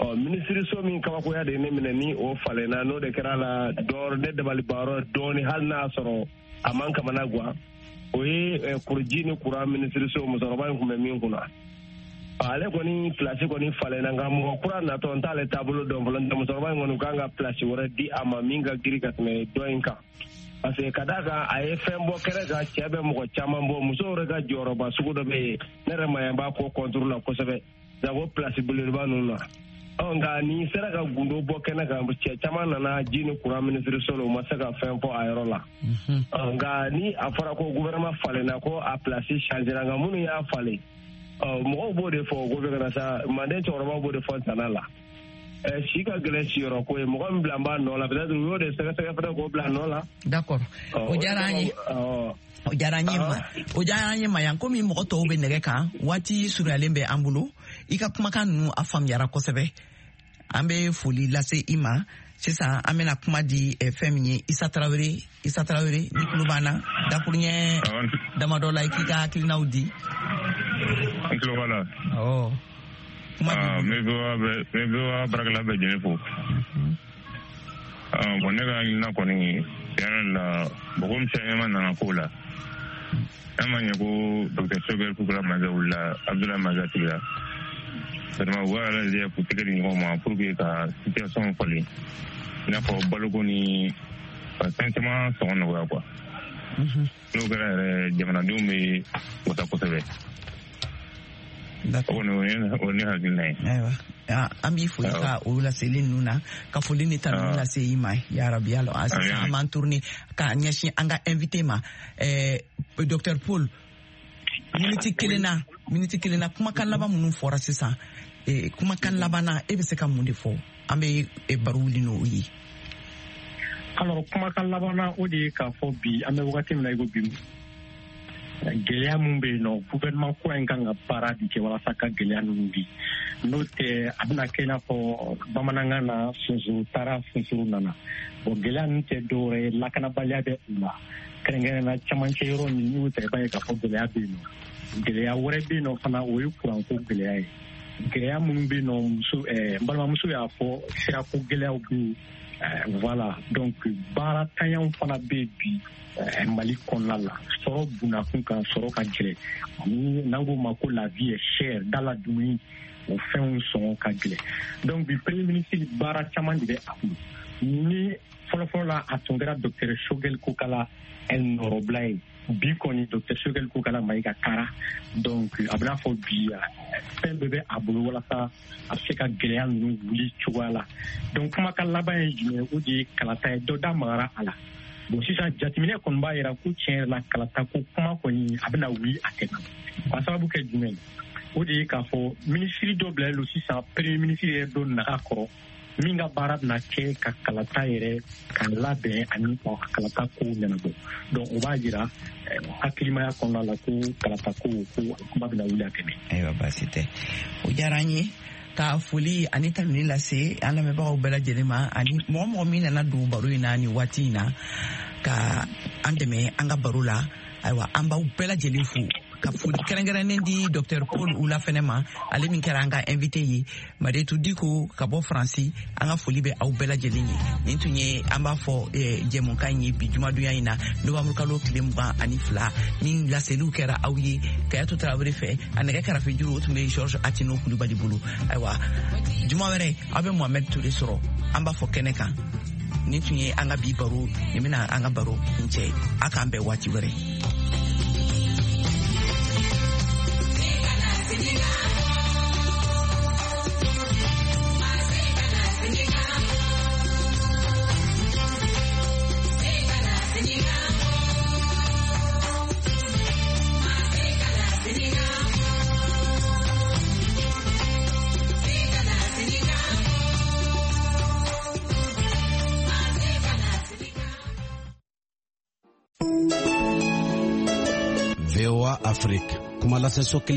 Ɔ minisiriso min kabakoya de ye ne minɛ ni o falenna, n'o de kɛra la dɔɔrɔ ne dabalibayɔrɔ dɔɔni, hali n'a y'a sɔrɔ a man kamana gan, o ye kuruji ni kuran minisiriso musokɔrɔba in tun bɛ min kunna. Ale kɔni pilasi kɔni falenna, nka mɔgɔ kura natɔ n t'ale taabolo dɔn fɔlɔ. Musokɔrɔba in kɔni kan ka pilasi wɛrɛ di a ma min ka girin ka tɛmɛ dɔ in kan, parce que ka d'a kan a ye fɛn bɔ kɛnɛ kan, cɛ bɛ mɔgɔ caman bɔ, musow yɛrɛ ka jɔyɔrɔba sugu dɔ bɛ yen, ne yɛrɛ ma yan b'a ko kɔnturu la kosɛbɛ, jango pilasi belebeleba ninnu na. Ɔ nka n'i sera ka gundo bɔ kɛnɛ kan, cɛ caman nana ji ni kuran minisiriso la, u ma se ka fɛn fɔ a yɔrɔ la. Nka ni a fɔra ko gouvernement falenna, ko a pilasi changera, nka minnu y'a falen, mɔgɔw b'o de fɔ o ko bɛ ka na sa, manden cɛkɔrɔbaw b'o de fɔ tana la. Si ka gɛlɛn siyɔrɔ ko ye, mɔgɔ min bila b'a nɔ la, peut-être u y'o de sɛgɛsɛgɛ fɛnɛ k'o bila nɔ la. D'accord, o diyara an ye. O diyara an ye ma o diyara an ye Mayan. Komi mɔgɔ tɔw bɛ nɛgɛ kan, waati surunyalen bɛ an bolo, i ka kumakan ninnu a faamuyara kosɛbɛ. An bɛ foli lase i ma. Sisan an bɛna kuma di fɛn min ye Isa Tarawele. Isa Tarawele, ni tulo b'an na, dakuruɲɛ damadɔ la i k'i ka hakilinaw di. N tulo b'a la. Awɔ. N bɛ V O A baarakɛla bɛɛ jɛlen fo. Bon, ne ka hakilina kɔni tiɲɛ yɛrɛ la, mɔgɔ min caman nana ko la, n'a ma ɲɛ ko docteur Choguel Kokalla Maïga wulila, Abdoulaye Maïga sigira, vraiment u b'a lajɛ k'u tɛgɛ di ɲɔgɔn ma pour que ka situation falen, i n'a fɔ baloko ni ka fɛn caman sɔngɔ nɔgɔya quoi. N'o kɛra yɛrɛ, jamanadenw bɛ wasa kosɛbɛ. O kɔni o ye ne hakilina ye. Ayiwa, an b'i fo i ka o laseli ninnu na, ka foli ni tanuni lase i ma yarabi. Ala sisan an b'an tourner ka ɲɛsin an ka invité ma, docteur Paul. Miniti kelen na, miniti kelen na, kumakan laban minnu fɔra sisan, kumakan laban na, e bɛ se ka mun de fɔ? An bɛ baro wuli n'o ye. Alors, kumakan laban na, o de ye k'a fɔ bi an bɛ wagati min na i ko bi, gɛlɛya mun bɛ yen nɔ, gouvernement kura in kan ka baara de kɛ walasa ka gɛlɛya ninnu bi. N'o tɛ, a bɛna kɛ i n'a fɔ bamanankan na, sunsun taara sunsun nana. Bon, gɛlɛya ninnu tɛ dɔwɛrɛ ye, lakanabaliya bɛ u la, kɛrɛnkɛrɛnnenya camancɛ yɔrɔ min, n'i y'o ta i b'a ye k'a fɔ gɛlɛya bɛ yen nɔ. Gɛlɛya wɛrɛ bɛ yen nɔ fana, o ye kuranko gɛlɛya ye. Gɛlɛya minnu bɛ yen nɔ, muso n balimamuso y'a fɔ, sirako gɛlɛyaw bɛ yen. Voilà, donc baara tanyaw fana bɛ yen bi Mali kɔnɔna la. Sɔrɔ bunakun kan, sɔrɔ ka gɛlɛn, ani n'an k'o ma ko la vie est chère, da la dumuni o fɛnw sɔngɔ ka gɛlɛn. Donc bi premier ministre baara caman de bɛ a bolo. Ni fɔlɔfɔlɔ la a tun kɛra docteur Choguel Kokalla nɔrɔbila ye, bi kɔni docteur Choguel Kokalla Maïga taara. Donc a bɛna fɔ bi fɛn bɛɛ bɛ a bolo walasa a bɛ se ka gɛlɛya ninnu wuli cogoya la. Donc kumakan laban ye jumɛn? O de ye kalata ye, dɔ da magara a la. Bon, sisan jateminɛ kɔni b'a yira ko tiɲɛ yɛrɛ la, kalata ko kuma kɔni a bɛna wuli a tɛmɛ. K'a sababu kɛ jumɛn ye? O de ye k'a fɔ minisiri dɔ bilalen don sisan, premier ministre yɛrɛ dɔ naga kɔrɔ, min ka baara bɛna kɛ ka kalata yɛrɛ ka labɛn ani ka kalata kow ɲɛnabɔ. Donc o b'a jira hakilimaya kɔnɔna la ko kalata ko ko kuma bɛna wuli a tɛmɛ. Ayiwa, baasi tɛ, o diyara an ye. Ka foli ani tanuni lase an lamɛnbagaw bɛɛ lajɛlen ma, ani mɔgɔ mɔgɔ min nana don baro in na nin waati in na ka an dɛmɛ an ka baro la. Ayiwa, an b'aw bɛɛ lajɛlen fo. Ka foli kɛrɛnkɛrɛnnen di Docteur Paul Oula fɛnɛ ma, ale min kɛra an ka invité ye. Maretu Diko ka bɔ Faransi, an ka foli bɛ aw bɛɛ lajɛlen ye. Nin tun ye an b'a fɔ jɛmukan ye bi jumadonya in na, novembre kalo tile mugan ani fila, min laseliw kɛra aw ye Kayatu Tarawele fɛ. A nɛgɛ karafe juru o tun bɛ Georges Atino Kulubali bolo. Ayiwa, juma wɛrɛ aw bɛ Mohamed Toure sɔrɔ an b'a fɔ kɛnɛ kan. Nin tun ye an ka bi baro, nin bɛna an ka baro kuncɛ. A k'an bɛn waati wɛrɛ. V O A Afrique, kuma lase so kelen.